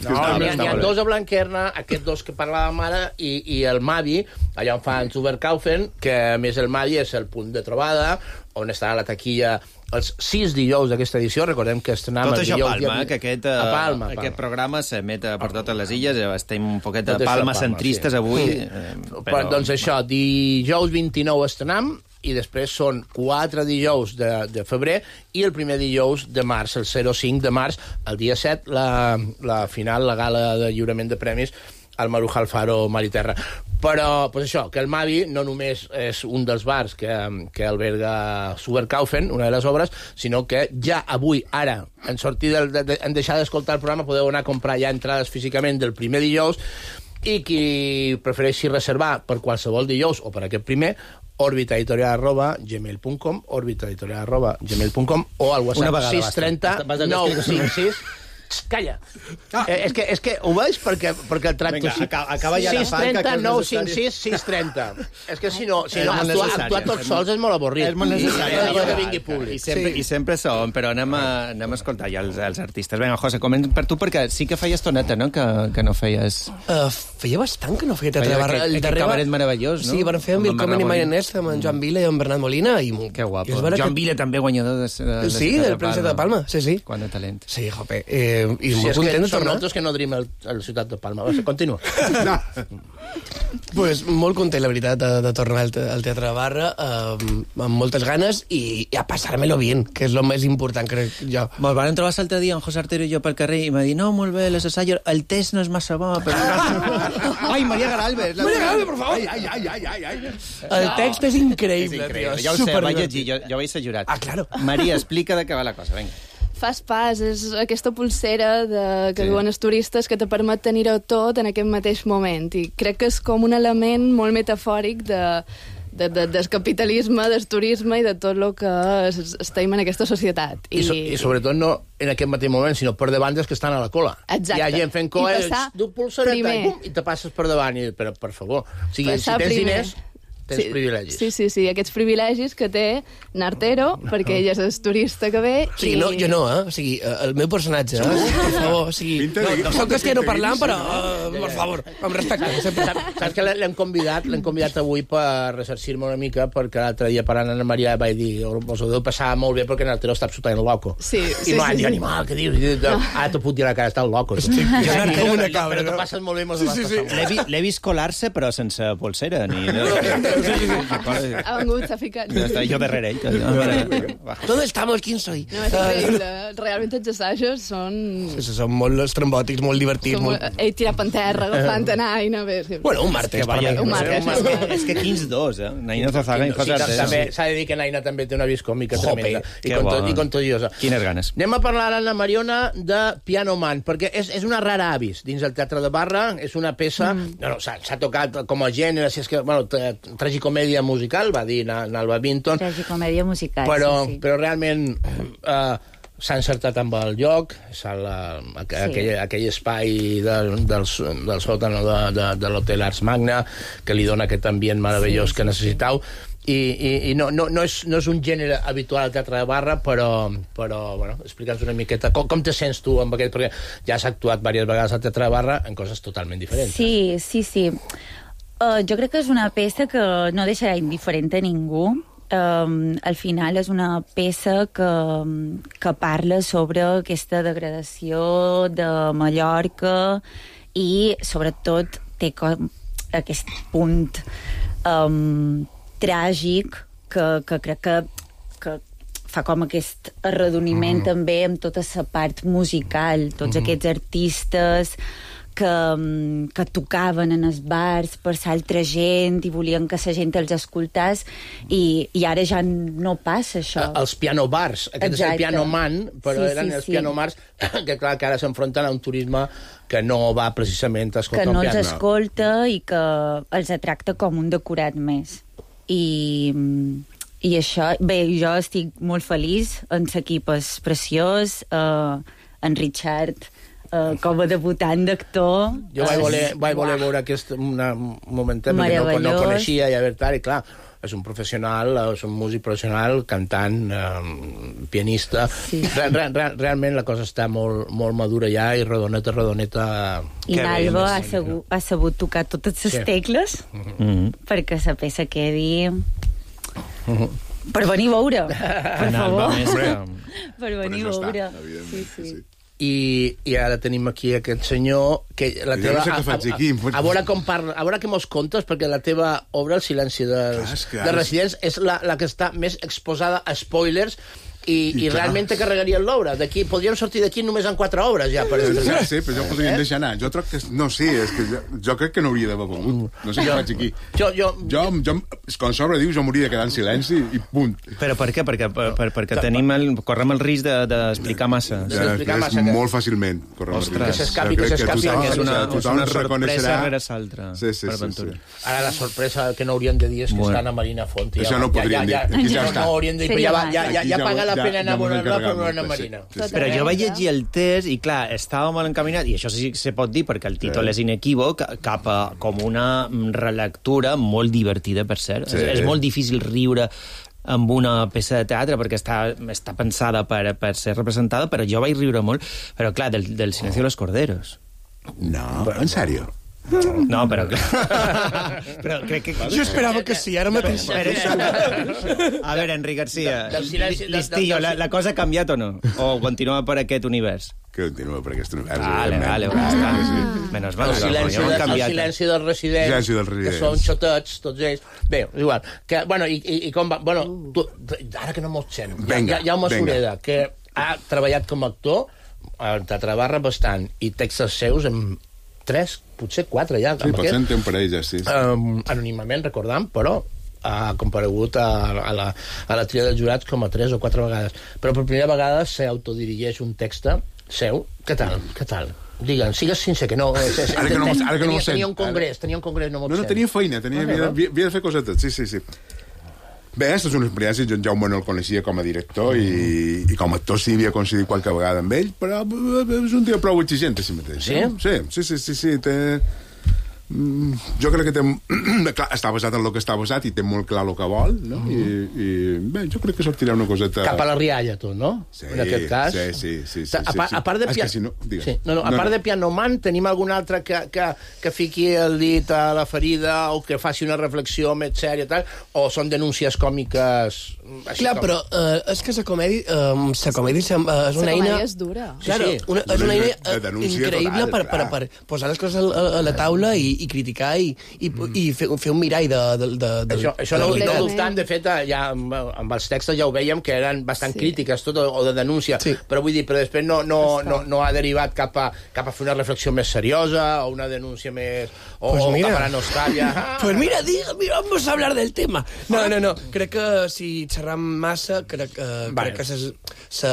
No, n'hi ha dos a Blanquerna, aquests dos que parlàvem ara, i el Mavi, allà on fan Superkaufen, que a més el Mavi és el punt de trobada, on estarà la taquilla els sis dijous d'aquesta edició. Recordem que estrenem tot això a Palma, dia... que aquest, a Palma, aquest Palma. Programa s'emet per totes les illes, estem un poquet a Palma centristes, sí. Avui. Sí. Eh, però... Doncs això, dijous vint-i-nou estrenem, i després són quatre dijous de, de febrer i el primer dijous de març, el zero cinc de març, el dia set, la, la final, la gala de lliurament de premis al Maruja Alfaro Mar i Terra. Però, pues això, que el Mavi no només és un dels bars que, que alberga Superkaufen, una de les obres, sinó que ja avui, ara, en sortir del, de, de, en deixar d'escoltar el programa, podeu anar a comprar ja entrades físicament del primer dijous, i qui prefereixi reservar per qualsevol dijous o per aquest primer, orbitaeditorial arroba gmail punt com, orbitaeditorial arroba gmail punt com, o al WhatsApp sis trenta nou cinc sis. Calla. Ah. Eh, és, que, és que ho veig perquè, perquè el tracto... Vinga, acaba, acaba ja sis trenta nou cinc sis sis trenta. És que si no, si no actuar, actuar tots sols és molt avorrit. És molt necessari. I, que vingui públic. I sempre, sí. I sempre som, però anem a, anem a escoltar ja els, els artistes. Vinga, José, coment per tu, perquè sí que feies toneta, no?, que, que no feies... Uh, feia bastant que no feia teatre de barra. El darrer cabaret meravellós, no? Sí, van fer amb Willkommen i Mayonnaise, amb en Joan Vila i en Bernat Molina. I... Que guapo. Joan Vila també guanyador de, de, de sí, del Príncipe de Palma. Sí, sí. Quant de talent. Sí, jope. Eh, I molt content. Som nosaltres que no dream a la ciutat de Palma. Continua. No. Pues molt content, la veritat, de, de tornar al, te, al Teatre de Barra, eh, amb moltes ganes, i, i a passar-me-lo bien, que és el més important, crec jo. Me'l van trobar l'altre dia, en José Artero i jo pel carrer, i m'ha dit, no, molt bé, les assajos, el test no és massa bo, però... Ai, Maria Garalbes! Maria Garalbes, per favor! Ai, ai, ai, ai, ai. El text és increïble, tio. Ja ho sé, vaig llegir, jo, jo vaig ser jurat. Ah, claro. Maria, explica de què va la cosa, vinga. Fas pas, és aquesta pulsera de, que sí. Duen els turistes que te permet tenir-ho tot en aquest mateix moment, i crec que és com un element molt metafòric de, de, de, del capitalisme, del turisme i de tot el que es, estem en aquesta societat. I, I, so, I sobretot no en aquest mateix moment, sinó per davant dels que estan a la cola. Exacte. Hi ha gent fent cola, du pulsereta i, i te passes per davant, i, però per favor, o sigui, passar si tens primer. Diners... tens sí, privilegis. Sí, sí, sí, aquests privilegis que té Nartero, no. Perquè ell és el turista que ve... O sigui, i... no, jo no, eh? O sigui, el meu personatge, eh? Per favor, o sigui... No, no soc castellano parlant, però, uh, per favor, amb respecte. Saps, saps que l'hem convidat, l'hem convidat avui per resarcir-me una mica, perquè l'altre dia parlant amb Maria vaig dir, us ho deu passar molt bé perquè Nartero està absolutament loco. Sí, sí, I m'ha sí, dit, sí. animal, què dius? Ara te puc dir la cara, està loco. Estic com una cabra, però te passes molt bé, mos ho vas passar molt. L'he vist colar-se, però sense polsera, ni... Ha vengut, s'ha ficat. Jo darrere ell. ¿Dónde estamos? ¿Quién soy? No, és increïble. Realment els assajos són... Sí, són molt estrambòtics, molt divertits. Molt... Ell tirant per terra, agafant a Naina... Bueno, un martes. Un martes. És que quins dos, eh? Naina Zazaga i José Artero. S'ha de dir que Naina també té una viscòmica tremenda. I contagiosa. Quines ganes. Anem a parlar ara, Anna Mariona, de Piano Man, perquè és una rara avis dins el Teatre de Barra. És una peça... No, no, s'ha tocat com a gènere, si és que... Bueno, tragicomèdia musical, va dir Nalba Vinton. Tragicomèdia musical, però, sí, sí. Però realment eh, s'ha encertat amb el lloc, la, aquell, sí. aquell espai del, del, del sòtano de, de, de l'Hotel Arts Magna, que li dona aquest ambient meravellós sí, sí. que necessitau. i, i, i no, no, no, és, no és un gènere habitual al teatre de barra, però, però bueno, explica'ns una miqueta com, com te sents tu amb aquest, perquè ja has actuat diverses vegades al teatre de barra en coses totalment diferents. Sí, sí, sí. Uh, jo crec que és una peça que no deixarà indiferent a ningú. Um, al final és una peça que, que parla sobre aquesta degradació de Mallorca i sobretot té com aquest punt um, tràgic que, que crec que, que fa com aquest arredoniment mm. també amb tota la part musical, tots mm. aquests artistes que, que tocaven en els bars per l'altra gent i volien que la gent els escoltés i, i ara ja no passa això. Els piano bars, aquest Exacte. És el piano man, però sí, eren sí, els sí. piano bars que clar que ara s'enfronten a un turisme que no va precisament a escoltar un piano. Que no els escolta i que els tracta com un decorat més. I, i això, bé, jo estic molt feliç, en l'equip és preciós, eh, en Richard Uh, com a debutant d'actor. Jo vaig voler, vaig voler veure aquest una, un momentet, perquè no, no coneixia, i a veure, i clar, és un professional, és un músic professional, cantant, eh, pianista. Sí. Re, re, re, realment la cosa està molt, molt madura ja, i redoneta, redoneta... I l'Alba ha, segut, ha sabut tocar totes les sí. tecles mm-hmm. perquè la peça quedi... Mm-hmm. Per venir a veure, per favor. Per venir a veure. Sí, sí. I, i ara tenim aquí aquest senyor que la teva, no sé què faig aquí. A, a, a veure com parla, a veure què mos contes, perquè la teva obra, El silenci dels, clar, de residents, és la, la que està més exposada a spoilers i, i, i realment te carregarien l'obra. D'aquí podríem sortir d'aquí només en quatre obres ja per estrenar. Sí, però jo podríem eh? deixar anar. Jo crec que no sé, és que jo, jo crec que no hauria d'haver volgut. No sé què faig aquí. Jo, jo, jo, jo quan s'obre diu, jo m'hauria de quedar en silenci i punt. Però per què? Perquè, per, per, perquè tenim el, correm el risc d'explicar de, massa. Ja, explicar és massa, molt fàcilment. Que s'escapi, que s'escapi. És una, és una sorpresa rere l'altra. Sí, sí, sí, sí. Ara la sorpresa que no haurien de dir és que bueno. Estan a Marina Font. Això no podrien dir. Aquí ja està. No haurien de dir, ja, ja paga la pena enamorar-la per una Marina. Sí, sí. Però jo vaig llegir el text i, clar, estava molt encaminat, i això sí que se pot dir perquè el títol sí. és inequívoc, cap a com una relectura molt divertida, per cert. Sí. És, és molt difícil riure amb una peça de teatre perquè està, està pensada per, per ser representada, però jo vaig riure molt, però clar, del, del Silencio de los Corderos. No, en sèrio? No, però... però crec que... Jo esperava que sí, ara mateix. A veure, Enric Garcia, Listillo, la, la cosa ha canviat o no? O continua per aquest univers? Que continua per aquest univers. Vale, vale, vale. Menos mal. El silenci, de, el silenci dels residents, silenci dels residents, que són xotets, tots ells. Bé, igual. Que, bueno, i, i, i com va... Bueno, tu, ara que no mos sent, venga, ja, ja ho Sureda, que ha treballat com a actor al Teatre Barra bastant, i textos seus en tres, potser quatre ja. Sí, potser en té un parell ja, sí. sí. Um, anònimament, recordam, però ha comparegut a, a, la, a la tria dels jurats com a tres o quatre vegades. Però per primera vegada s'autodirigeix un text seu. Què tal? Què tal? Digue'm, sigues sincer, que no... Ara que no, ara que no tenia, tenia un congrés, tenia un congrés, no m'ho No, no, tenia feina, tenia, havia, havia, havia de fer cosetes, sí, sí, sí. Bé, aquesta és una experiència, jo en Jaume no el coneixia com a director i, i com a actor sí havia coincidit qualque vegada amb ell, però és un tio prou exigent a si mateix. Sí? Sí, sí, sí, sí, sí té... Jo crec que té... Clar, està basat en el que està basat i té molt clar el que vol, no? Mm. I, i bé, jo crec que sortirà una coseta... Cap a la rialla, tu, no? Sí, en aquest cas. Sí, sí, sí. sí, a, part, sí, sí. a part de, pia... si no, sí. no, no, a part no, no. de Pianoman, tenim algun altre que, que, que fiqui el dit a la ferida o que faci una reflexió més sèria, tal, o són denúncies còmiques... Així clar, com... però uh, és que la comèdia, uh, la comèdia és una la eina... La comèdia és dura. Claro, sí, sí. Una, és una eina uh, increïble total, per, per, per posar les coses a, a la taula i, i criticar i, i, mm. i fer, fer un mirall de... de, de, de això això de no, no dubtant, de fet, ja amb, amb els textos ja ho veiem, que eren bastant sí. crítiques, tot, o de denúncia, sí. però vull dir, però després no, no, no, no ha derivat cap a, cap a fer una reflexió més seriosa, o una denúncia més... o, pues mira. o cap a la nostàlia. Pues mira, diga, mira, vamos a hablar del tema. No, no, no, crec que si xerram massa, crec, uh, vale. crec que se, se,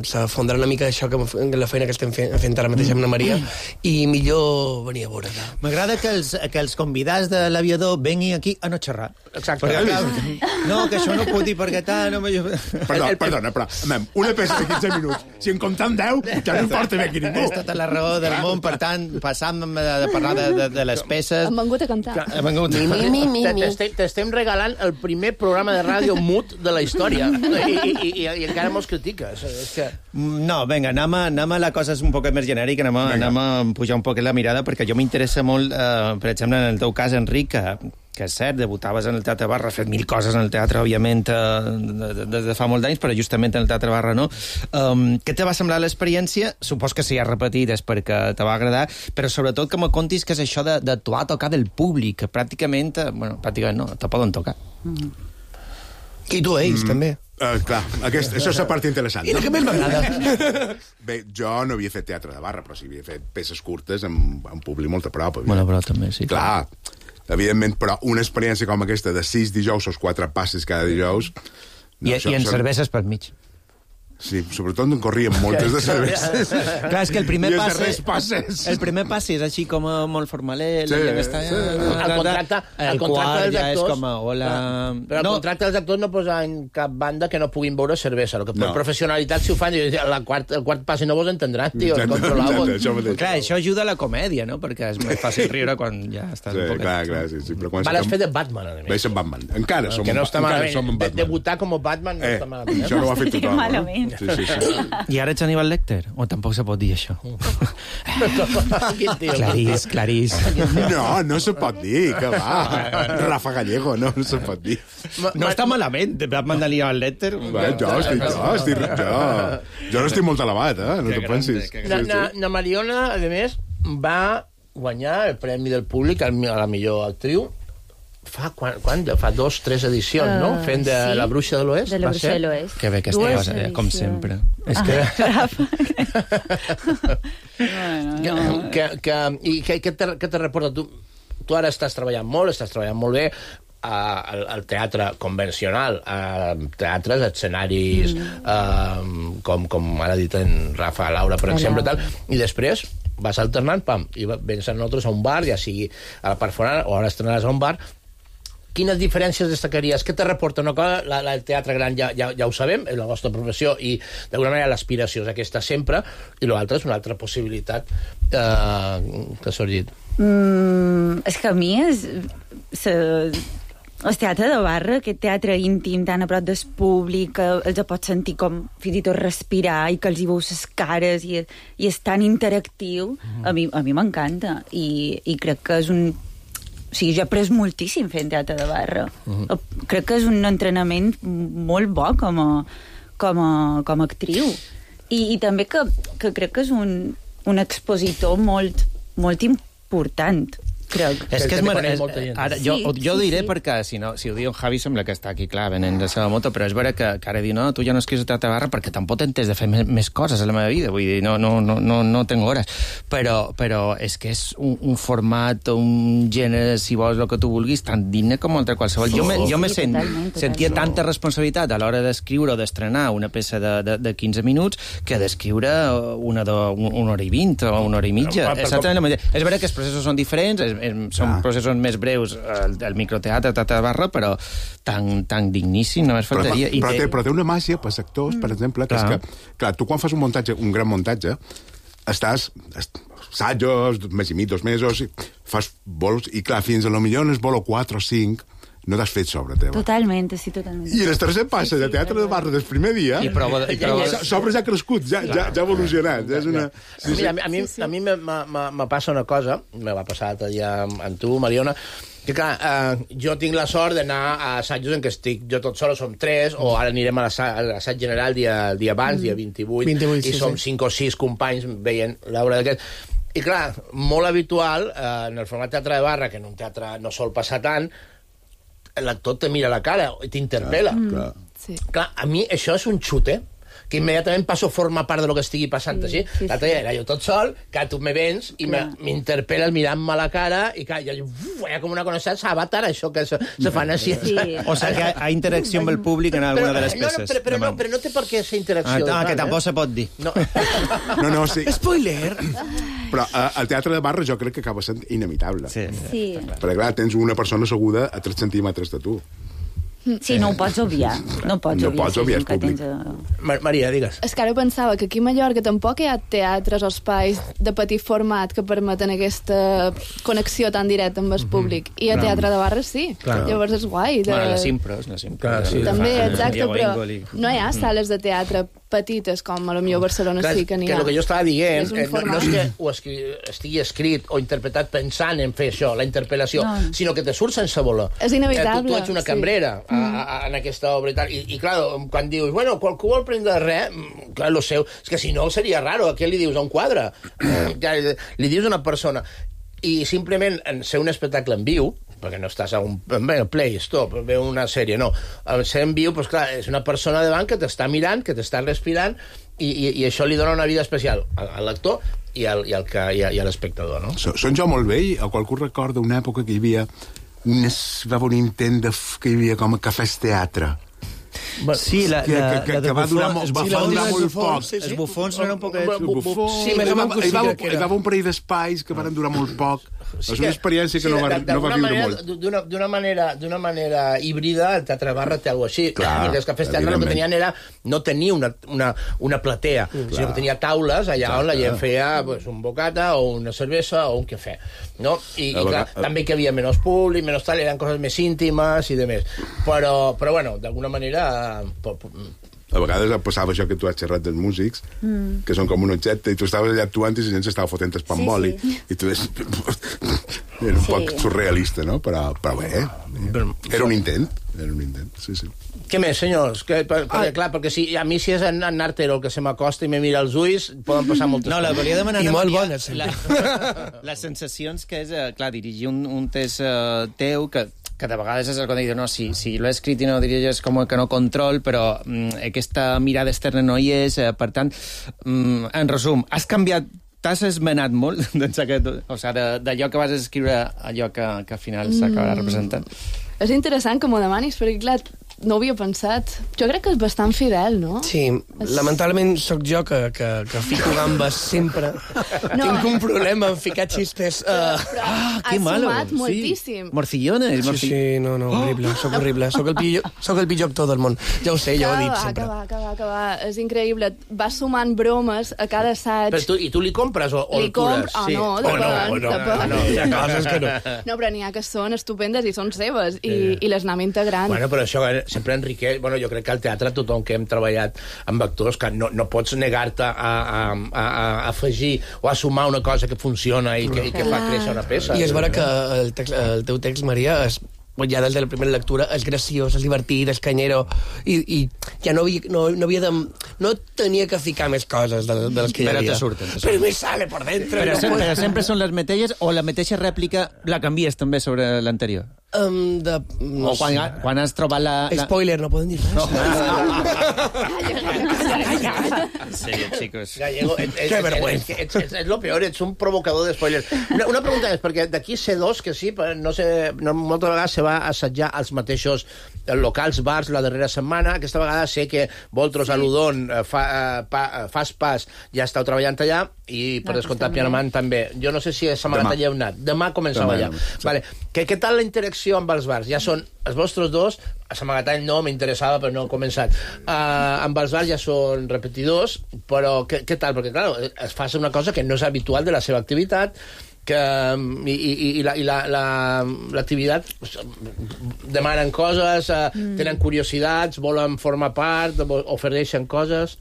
se fondrà una mica això, que la feina que estem fent, fent ara mateix amb la Maria, i millor venir a veure. M'agrada que els, que els convidats de l'aviador venguin aquí a no xerrar. Exacte. Perquè, clar, no, que això no ho puc dir perquè tal... No me... Perdó, perdona, però mem, una peça de quinze minuts, si en comptem deu, ja no importa bé qui ningú. És tota la raó del món, per tant, passant de, de parlar de, de, de les peces... Hem vengut a cantar. Hem vengut a... Mi, mi, mi, mi. T'estem regalant el primer programa de ràdio mut de la història. I, i, i, i encara mos critiques. És que... No, vinga, anem a, anem a la cosa un poc més genèrica, anem a, anem a pujar un poc la mirada, perquè jo m'interessa molt, eh, per exemple, en el teu cas, Enric, que, que és cert, debutaves en el Teatre Barra, has fet mil coses en el teatre, òbviament, eh, des de fa molts anys, però justament en el Teatre Barra no. Um, què te va semblar l'experiència? Supos que si has repetit és perquè te va agradar, però sobretot que me contis que és això d'actuar a tocar del públic, que pràcticament, bueno, pràcticament no, te poden tocar. Mm. I tu, ells, mm. també. Uh, clar, aquest, això és la part interessant. I el que més m'agrada. Bé, jo no havia fet teatre de barra, però sí havia fet peces curtes amb, amb públic molt a prop. Havia... Bueno, però també, sí. Clar, evidentment, però una experiència com aquesta de sis dijous o quatre passes cada dijous... No, I, això, i en són... cerveses pel mig. Sí, sobretot en corrien moltes de cerveses. Clar, és que el primer pas... passes... El primer pas és així com molt formalet. Sí, està... sí. El contracte, el el contracte dels ja actors... és com a, hola... Però el no. contracte dels actors no posa en cap banda que no puguin veure cervesa. El que per no. professionalitat, si ho fan, la quart, el quart pas, si no vos entendran, tio, el controleu. Clar, això ajuda a la comèdia, no? Perquè és més fàcil riure quan ja estàs sí, un poc... Clar, clar, sí, sí. Però quan Vale, has fet de Batman, a més. Vaig ser Batman. Encara som, no està encara som en Batman. Debutar com a Batman no eh, està malament. Això no ho ha fet tothom. Malament. Sí, sí, sí. I ara ets Aníbal Lecter? O tampoc se pot dir això? Clarís, Clarís. No, no se pot dir, que va. Rafa Gallego, no, no se pot dir. No està malament, Batman d'Aníbal Lecter. Va, jo, estic, jo, estic, jo, jo no estic molt elevat, eh? No te pensis. Na, na, na Mariona, a més, va guanyar el Premi del Públic a la millor actriu fa, quan, quan, fa dos, tres edicions, uh, no? Fent de sí? La Bruixa de l'Oest. De la Bruixa de l'Oest. Que bé que estàs, eh, com sempre. És que... bueno, no. que, que, I què te, què te reporta? Tu, tu ara estàs treballant molt, estàs treballant molt bé, al, al teatre convencional, a teatres, escenaris, mm. uh, com, com ara ha dit en Rafa Laura, per exemple, tal, i després vas alternant, pam, i vens a nosaltres a un bar, ja sigui a la part forana, o ara estrenaràs a un bar. Quines diferències destacaries? Què te reporta una cosa? La, la, el teatre gran ja, ja, ja ho sabem, és la vostra professió, i d'alguna manera l'aspiració és aquesta sempre, i l'altra és una altra possibilitat eh, que ha sorgit. Mm, és que a mi és... Se... El teatre de barra, aquest teatre íntim tan a prop del públic, que els pots sentir com fins i tot respirar i que els hi veus les cares i, i és tan interactiu, mm-hmm. a mi, a mi m'encanta i, i crec que és un... O sigui, jo he après moltíssim fent teatre de barra. Mm-hmm. Crec que és un entrenament molt bo com a, com a, com a actriu. I, i també que, que crec que és un, un expositor molt, molt important. Crec. És que és mar... és... Ara, jo, sí, jo ho diré sí. perquè, si, no, si ho diu en Javi, sembla que està aquí, clar, venent de la moto, però és vera que, que ara diu, no, tu ja no escrius a teatre barra perquè tampoc t'entens de fer més, més coses a la meva vida, vull dir, no, no, no, no, no tengo hores. Però, però és que és un, un format, un gènere, si vols, el que tu vulguis, tan digne com altre qualsevol. Sí, jo me, jo me sí, sent, totalment, totalment. sentia tanta responsabilitat a l'hora d'escriure o d'estrenar una peça de, de, de quinze minuts que d'escriure una, de, una hora i vint o una hora i mitja. Però, però, com... És vera que els processos són diferents, és, és, són ah. processos més breus el, el microteatre, teatre de barra, però tan, tan digníssim, només faltaria. Però, però, té, però té una màgia pels actors, mm. per exemple, que clar. és que, clar, tu quan fas un muntatge, un gran muntatge, estàs, assajos, un mes i mig, dos mesos, fas vols, i clar, fins a lo millor es vol o quatre o cinc, no t'has fet sobre teva. Totalment, sí, totalment. I en el tercer passa sí, sí, de teatre de barra del primer dia, i prova, i prova... sobre ja ha crescut, ja, ja, ja ha evolucionat. Ja és una... sí, sí. A mi, a mi, sí, sí. a mi me, me, me passa una cosa, me va passar l'altre dia amb tu, Mariona, que clar, eh, jo tinc la sort d'anar a assajos en què estic jo tot sol, som tres, o ara anirem a l'assaig general dia, el dia abans, mm. dia vint-i-vuit, vint-i-vuit i sí, som sí. cinc o sis companys veient l'obra d'aquest. I clar, molt habitual, eh, en el format teatre de barra, que en un teatre no sol passar tant, l'actor te mira la cara i t'interpel·la. Mm. Clar. Sí. Clar, a mi això és un xute, que immediatament passo a formar part de lo que estigui passant sí, així. Sí, l'altre dia era jo tot sol, que tu me vens i m'interpel·les mirant-me la cara i clar, jo, uf, hi ha com una coneixença avatar, això que se, se fan així. Sí. O sigui que hi ha interacció amb el públic en alguna però, de les peces. No, no, però, però, no, però no té per què ser interacció. Ah, que tampoc eh? se pot dir. No, no, no sí. Spoiler! Però eh, el teatre de barra jo crec que acaba sent inimitable. Sí. sí. Perquè, clar, tens una persona asseguda a tres centímetres de tu. Sí, no ho pots obviar. No pots no obviar. Pots obviar, és públic. Tens... Maria, digues. És que ara pensava que aquí a Mallorca tampoc hi ha teatres o espais de petit format que permeten aquesta connexió tan directa amb el públic. I a teatre de barra sí. Clar. Llavors és guai. De... Bueno, les impros, les impros. Clar, sí. També, exacte, però no hi ha sales de teatre petites com a la millor Barcelona Clar, sí que n'hi ha. Que el que jo estava dient és eh, no, no és que ho escri... estigui escrit o interpretat pensant en fer això, la interpel·lació, no. sinó que te surt sense voler. És inevitable. Eh, tu, tu ets una cambrera sí. a, a, en aquesta obra i tal. I, i clar, quan dius, bueno, qualcú vol prendre res, clar, lo seu, és que si no seria raro, a què li dius a un quadre? Ja, li dius a una persona. I simplement en ser un espectacle en viu, perquè no estàs a un bé, play, stop, veu una sèrie, no. Al ser en viu, doncs clar, és una persona davant que t'està mirant, que t'està respirant, i, i, i això li dona una vida especial al lector i al, i al que, i a, i a l'espectador, no? Són jo molt vell, o qualcú recorda una època que hi havia unes, va haver un intent de, que hi havia com a cafès teatre. Sí, la, que, la, que, la que va durar, bufons, va bufons, durar molt poc. Sí, sí. Els bufons no eren un poc... Bufons, sí, hi va, hi va, hi va un parell d'espais que van durar molt poc. Sí és una experiència que sí, no va, no va viure manera, molt. D'una manera, d'una manera híbrida, el Teatre Barra té alguna cosa així. Clar, els cafès teatre el que tenien era no tenir una, una, una platea, mm, sinó que tenia taules allà clar, on la gent feia pues, un bocata o una cervesa o un cafè. No? I, i clar, a... també que hi havia menys públic, menys tal, eren coses més íntimes i de més. Però, però bueno, d'alguna manera... A vegades passava això que tu has xerrat dels músics, mm. que són com un objecte, i tu estaves allà actuant i la gent s'estava fotent el pamboli, sí, sí. i tu és... era un sí. poc surrealista, no? Però, però bé, era un intent, era un intent, sí, sí. Què més, senyors? Que, per, perquè, clar, perquè si, a mi si és en, en Nartero el que se m'acosta i me mira els ulls, poden passar moltes no, coses. No, la volia demanar... I molt bones. La, les sensacions que és, clar, dirigir un, un test uh, teu que que de vegades és el que dic, no, si, si l'he escrit i no dirigeix com que no control, però mm, aquesta mirada externa no hi és, eh, per tant, mm, en resum, has canviat, t'has esmenat molt aquest, o sigui, d'allò que vas escriure a allò que, que al final s'acabarà representant. És interessant que m'ho demanis, perquè clar, no ho havia pensat. Jo crec que és bastant fidel, no? Sí, és... lamentablement sóc jo que, que, que fico gambes sempre. No. Tinc un problema en ficar xistes. Uh... Però, però ah, que malo. Has sumat sí. moltíssim. Morcillones. Sí, morcill... sí, no, no, horrible, oh. sóc horrible. Sóc el, pitjor, sóc el pitjor actor del món. Ja ho sé, ja ho he dit sempre. Que va, que va, que va. És increïble. Vas sumant bromes a cada assaig. Però tu, I tu li compres o, o li el cures? Oh, sí. no, o no, o no, no, no, hi ha coses que no. No, però n'hi ha que són estupendes i són seves, i, eh. i les anem integrant. Bueno, però això sempre enriqueix. Bueno, jo crec que al teatre tothom que hem treballat amb actors, que no, no pots negar-te a, a, a, a afegir o a sumar una cosa que funciona i que, i que fa créixer una peça. I és vera que el, text, el teu text, Maria, és ja des de la primera lectura, és graciós, és divertit, és canyero, i, i ja no havia, no, no havia de... No tenia que ficar més coses de, de les que hi havia. Però te surten. Te surten. Però me sale por dentro. Però, no sempre, però sempre són les mateixes o la mateixa rèplica la canvies també sobre l'anterior? Um, de, no o quan, sé. quan has trobat la... la... Spoiler, no poden dir res. No. Sí, chicos. Gallego, et, et, que vergüenza. És, és, és, és lo peor, ets un provocador de spoilers. Una, una pregunta és, perquè d'aquí C dos, que sí, no sé, no, moltes vegades se va assetjar als mateixos locals, bars, la darrera setmana. Aquesta vegada sé que Voltros, sí. a l'Udon, fa, pa, fas pas, ja estàu treballant allà, i per descomptat Pianamant també. Jo no sé si a Samagatall hi heu anat. Demà començava allà. Sí. Vale. Què, què tal la interacció amb els bars? Ja són els vostres dos, a Samagatall no, m'interessava, però no he començat. Uh, amb els bars ja són repetidors, però què, què tal? Perquè, clar, es fa una cosa que no és habitual de la seva activitat, que, i, i, i, la, i la, la, l'activitat pues, demanen coses, uh, mm. tenen curiositats, volen formar part, ofereixen coses...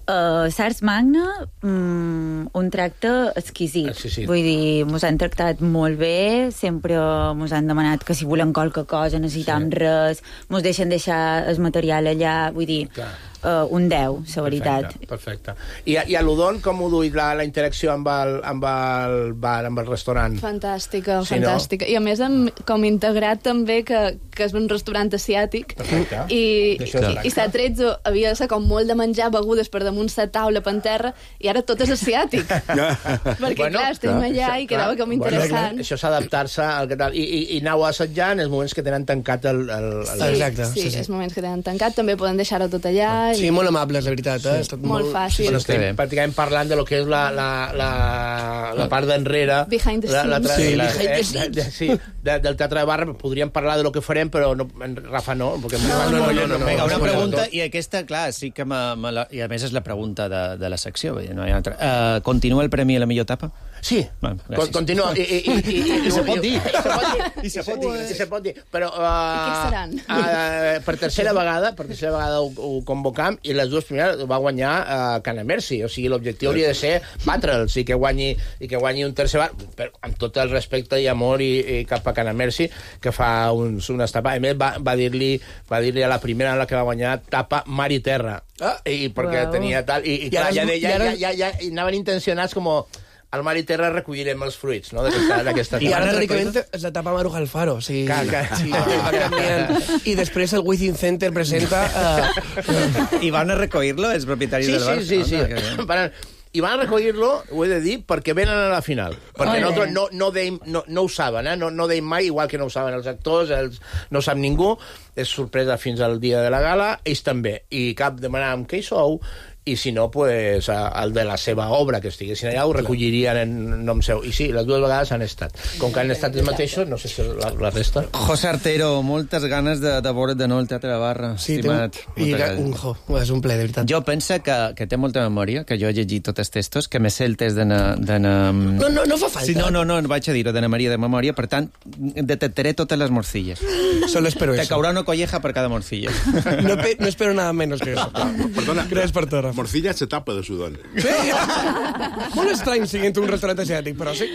Uh, Sars Magna, um, un tracte exquisit. Exquisit. Vull dir, mos han tractat molt bé, sempre mos han demanat que si volem qualque cosa, necessitam sí. res, mos deixen deixar el material allà, vull dir, uh, un deu, la veritat. Perfecte, perfecte. I, i a l'Udon, com ho duit la, la interacció amb el, amb el bar, amb el restaurant? Fantàstica, sí, fantàstica. No? I a més, amb, com integrat també que, que és un restaurant asiàtic. Perfecte. I, i, i s'ha tretze havia de ser com molt de menjar begudes per damunt la taula per terra, i ara tot és asiàtic. Perquè, bueno, clar, estem allà clar, i quedava com interessant. Bueno, això és adaptar-se al que tal. I, i, i anau a assetjar en els moments que tenen tancat el... el, el... Exacte. Sí, sí, sí. els moments que tenen tancat també poden deixar-ho tot allà Sí, molt amables, la veritat. Eh? Sí. Molt fàcil. Però estem pràcticament parlant de lo que és la, la, la, la part d'enrere. Behind the scenes. La, la, sí, la, behind the eh, de, sí, de, del Teatre de Barra. Podríem parlar de lo que farem, però no, en Rafa no. Perquè no, no, no, no, no, no. Vinga, una pregunta, i aquesta, clar, sí que me, me la, i a més és la pregunta de, de la secció, no hi ha altra. Uh, continua el premi a la millor etapa? Sí, bueno, continua. I, i, i, i, I se pot dir. I se pot dir. I se pot dir. Però, uh, I què seran? Uh, per tercera vegada, per tercera vegada ho, ho convocam, i les dues primeres va guanyar uh, Canamersi. O sigui, l'objectiu hauria de ser batre'ls i que guanyi, i que guanyi un tercer bar, però amb tot el respecte i amor i, i cap a Canamersi, que fa uns, unes tapes. A més, va, va dir-li va dir-li a la primera en la que va guanyar tapa mar i terra. Ah, i perquè wow. tenia tal... I, i, clar, ja, ja, ja, ja, ja, ja, ja anaven intencionats com... Al mar i terra recollirem els fruits, no?, d'aquesta... I ara, teòricament, és la tapa Maruja al Faro. Sí, clar, clar. Sí, va canviant. I després el Within Center presenta... Uh... I van a recollir-lo, els propietaris sí, del bar? Sí, sí, sí. sí. Van, i van a recollir-lo, ho he de dir, perquè venen a la final. Perquè nosaltres no, no, deim, no, no ho saben, eh? no, no deim mai, igual que no ho saben els actors, els, no ho sap ningú, és sorpresa fins al dia de la gala, ells també. I cap demanàvem què hi sou, i si no, pues, el de la seva obra que estiguessin allà ho recollirien en nom seu. I sí, les dues vegades han estat. Com que han estat els mateixos, no sé si la, la resta... José Artero, moltes ganes de, de veure't de nou al Teatre de Barra, sí, estimat. I un, jo, és un ple, de veritat. Jo penso que, que té molta memòria, que jo he llegit tots els textos, que me sé el test d'anar... No, no, no fa falta. Sí, no, no, no, vaig a dir-ho d'Anna Maria de memòria, per tant, detectaré totes les morcilles. Solo espero Te eso. Te caurà una colleja per cada morcilla. No, pe, no espero nada menos que eso. Perdona, gràcies per tot, Rafa. Morcilla se tapa de sudor. Sí? Molt estrany siguent un restaurant asiàtic, però sí.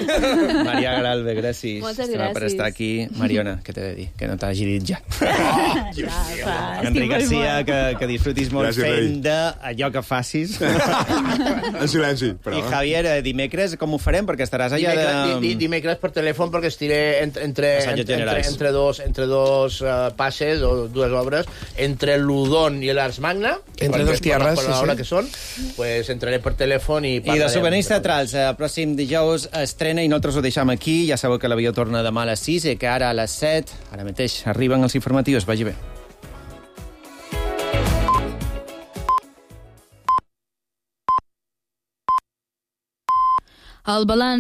Maria Garalbe, gràcies. Moltes gràcies. Per estar aquí. Mariona, què t'he de dir? Que no t'hagi dit ja. Oh, ja, ja. Enric Garcia, que, que disfrutis molt gràcies, fent d'allò que facis. En silenci, però. I Javier, dimecres com ho farem? Perquè estaràs allà dimecres, de... Dimecres per telèfon, perquè estiré entre, entre, entre, entre dos, entre dos uh, passes o dues obres, entre l'Udon i l'Ars Magna, entre dos tierras, per l'hora sí, sí. que són, pues entraré per telèfon i parlarem. I de souvenirs teatrals, el pròxim dijous estrena i nosaltres ho deixam aquí. Ja sabeu que l'avió torna demà a les sis i que ara a les set, ara mateix, arriben els informatius. Vagi bé. El balanç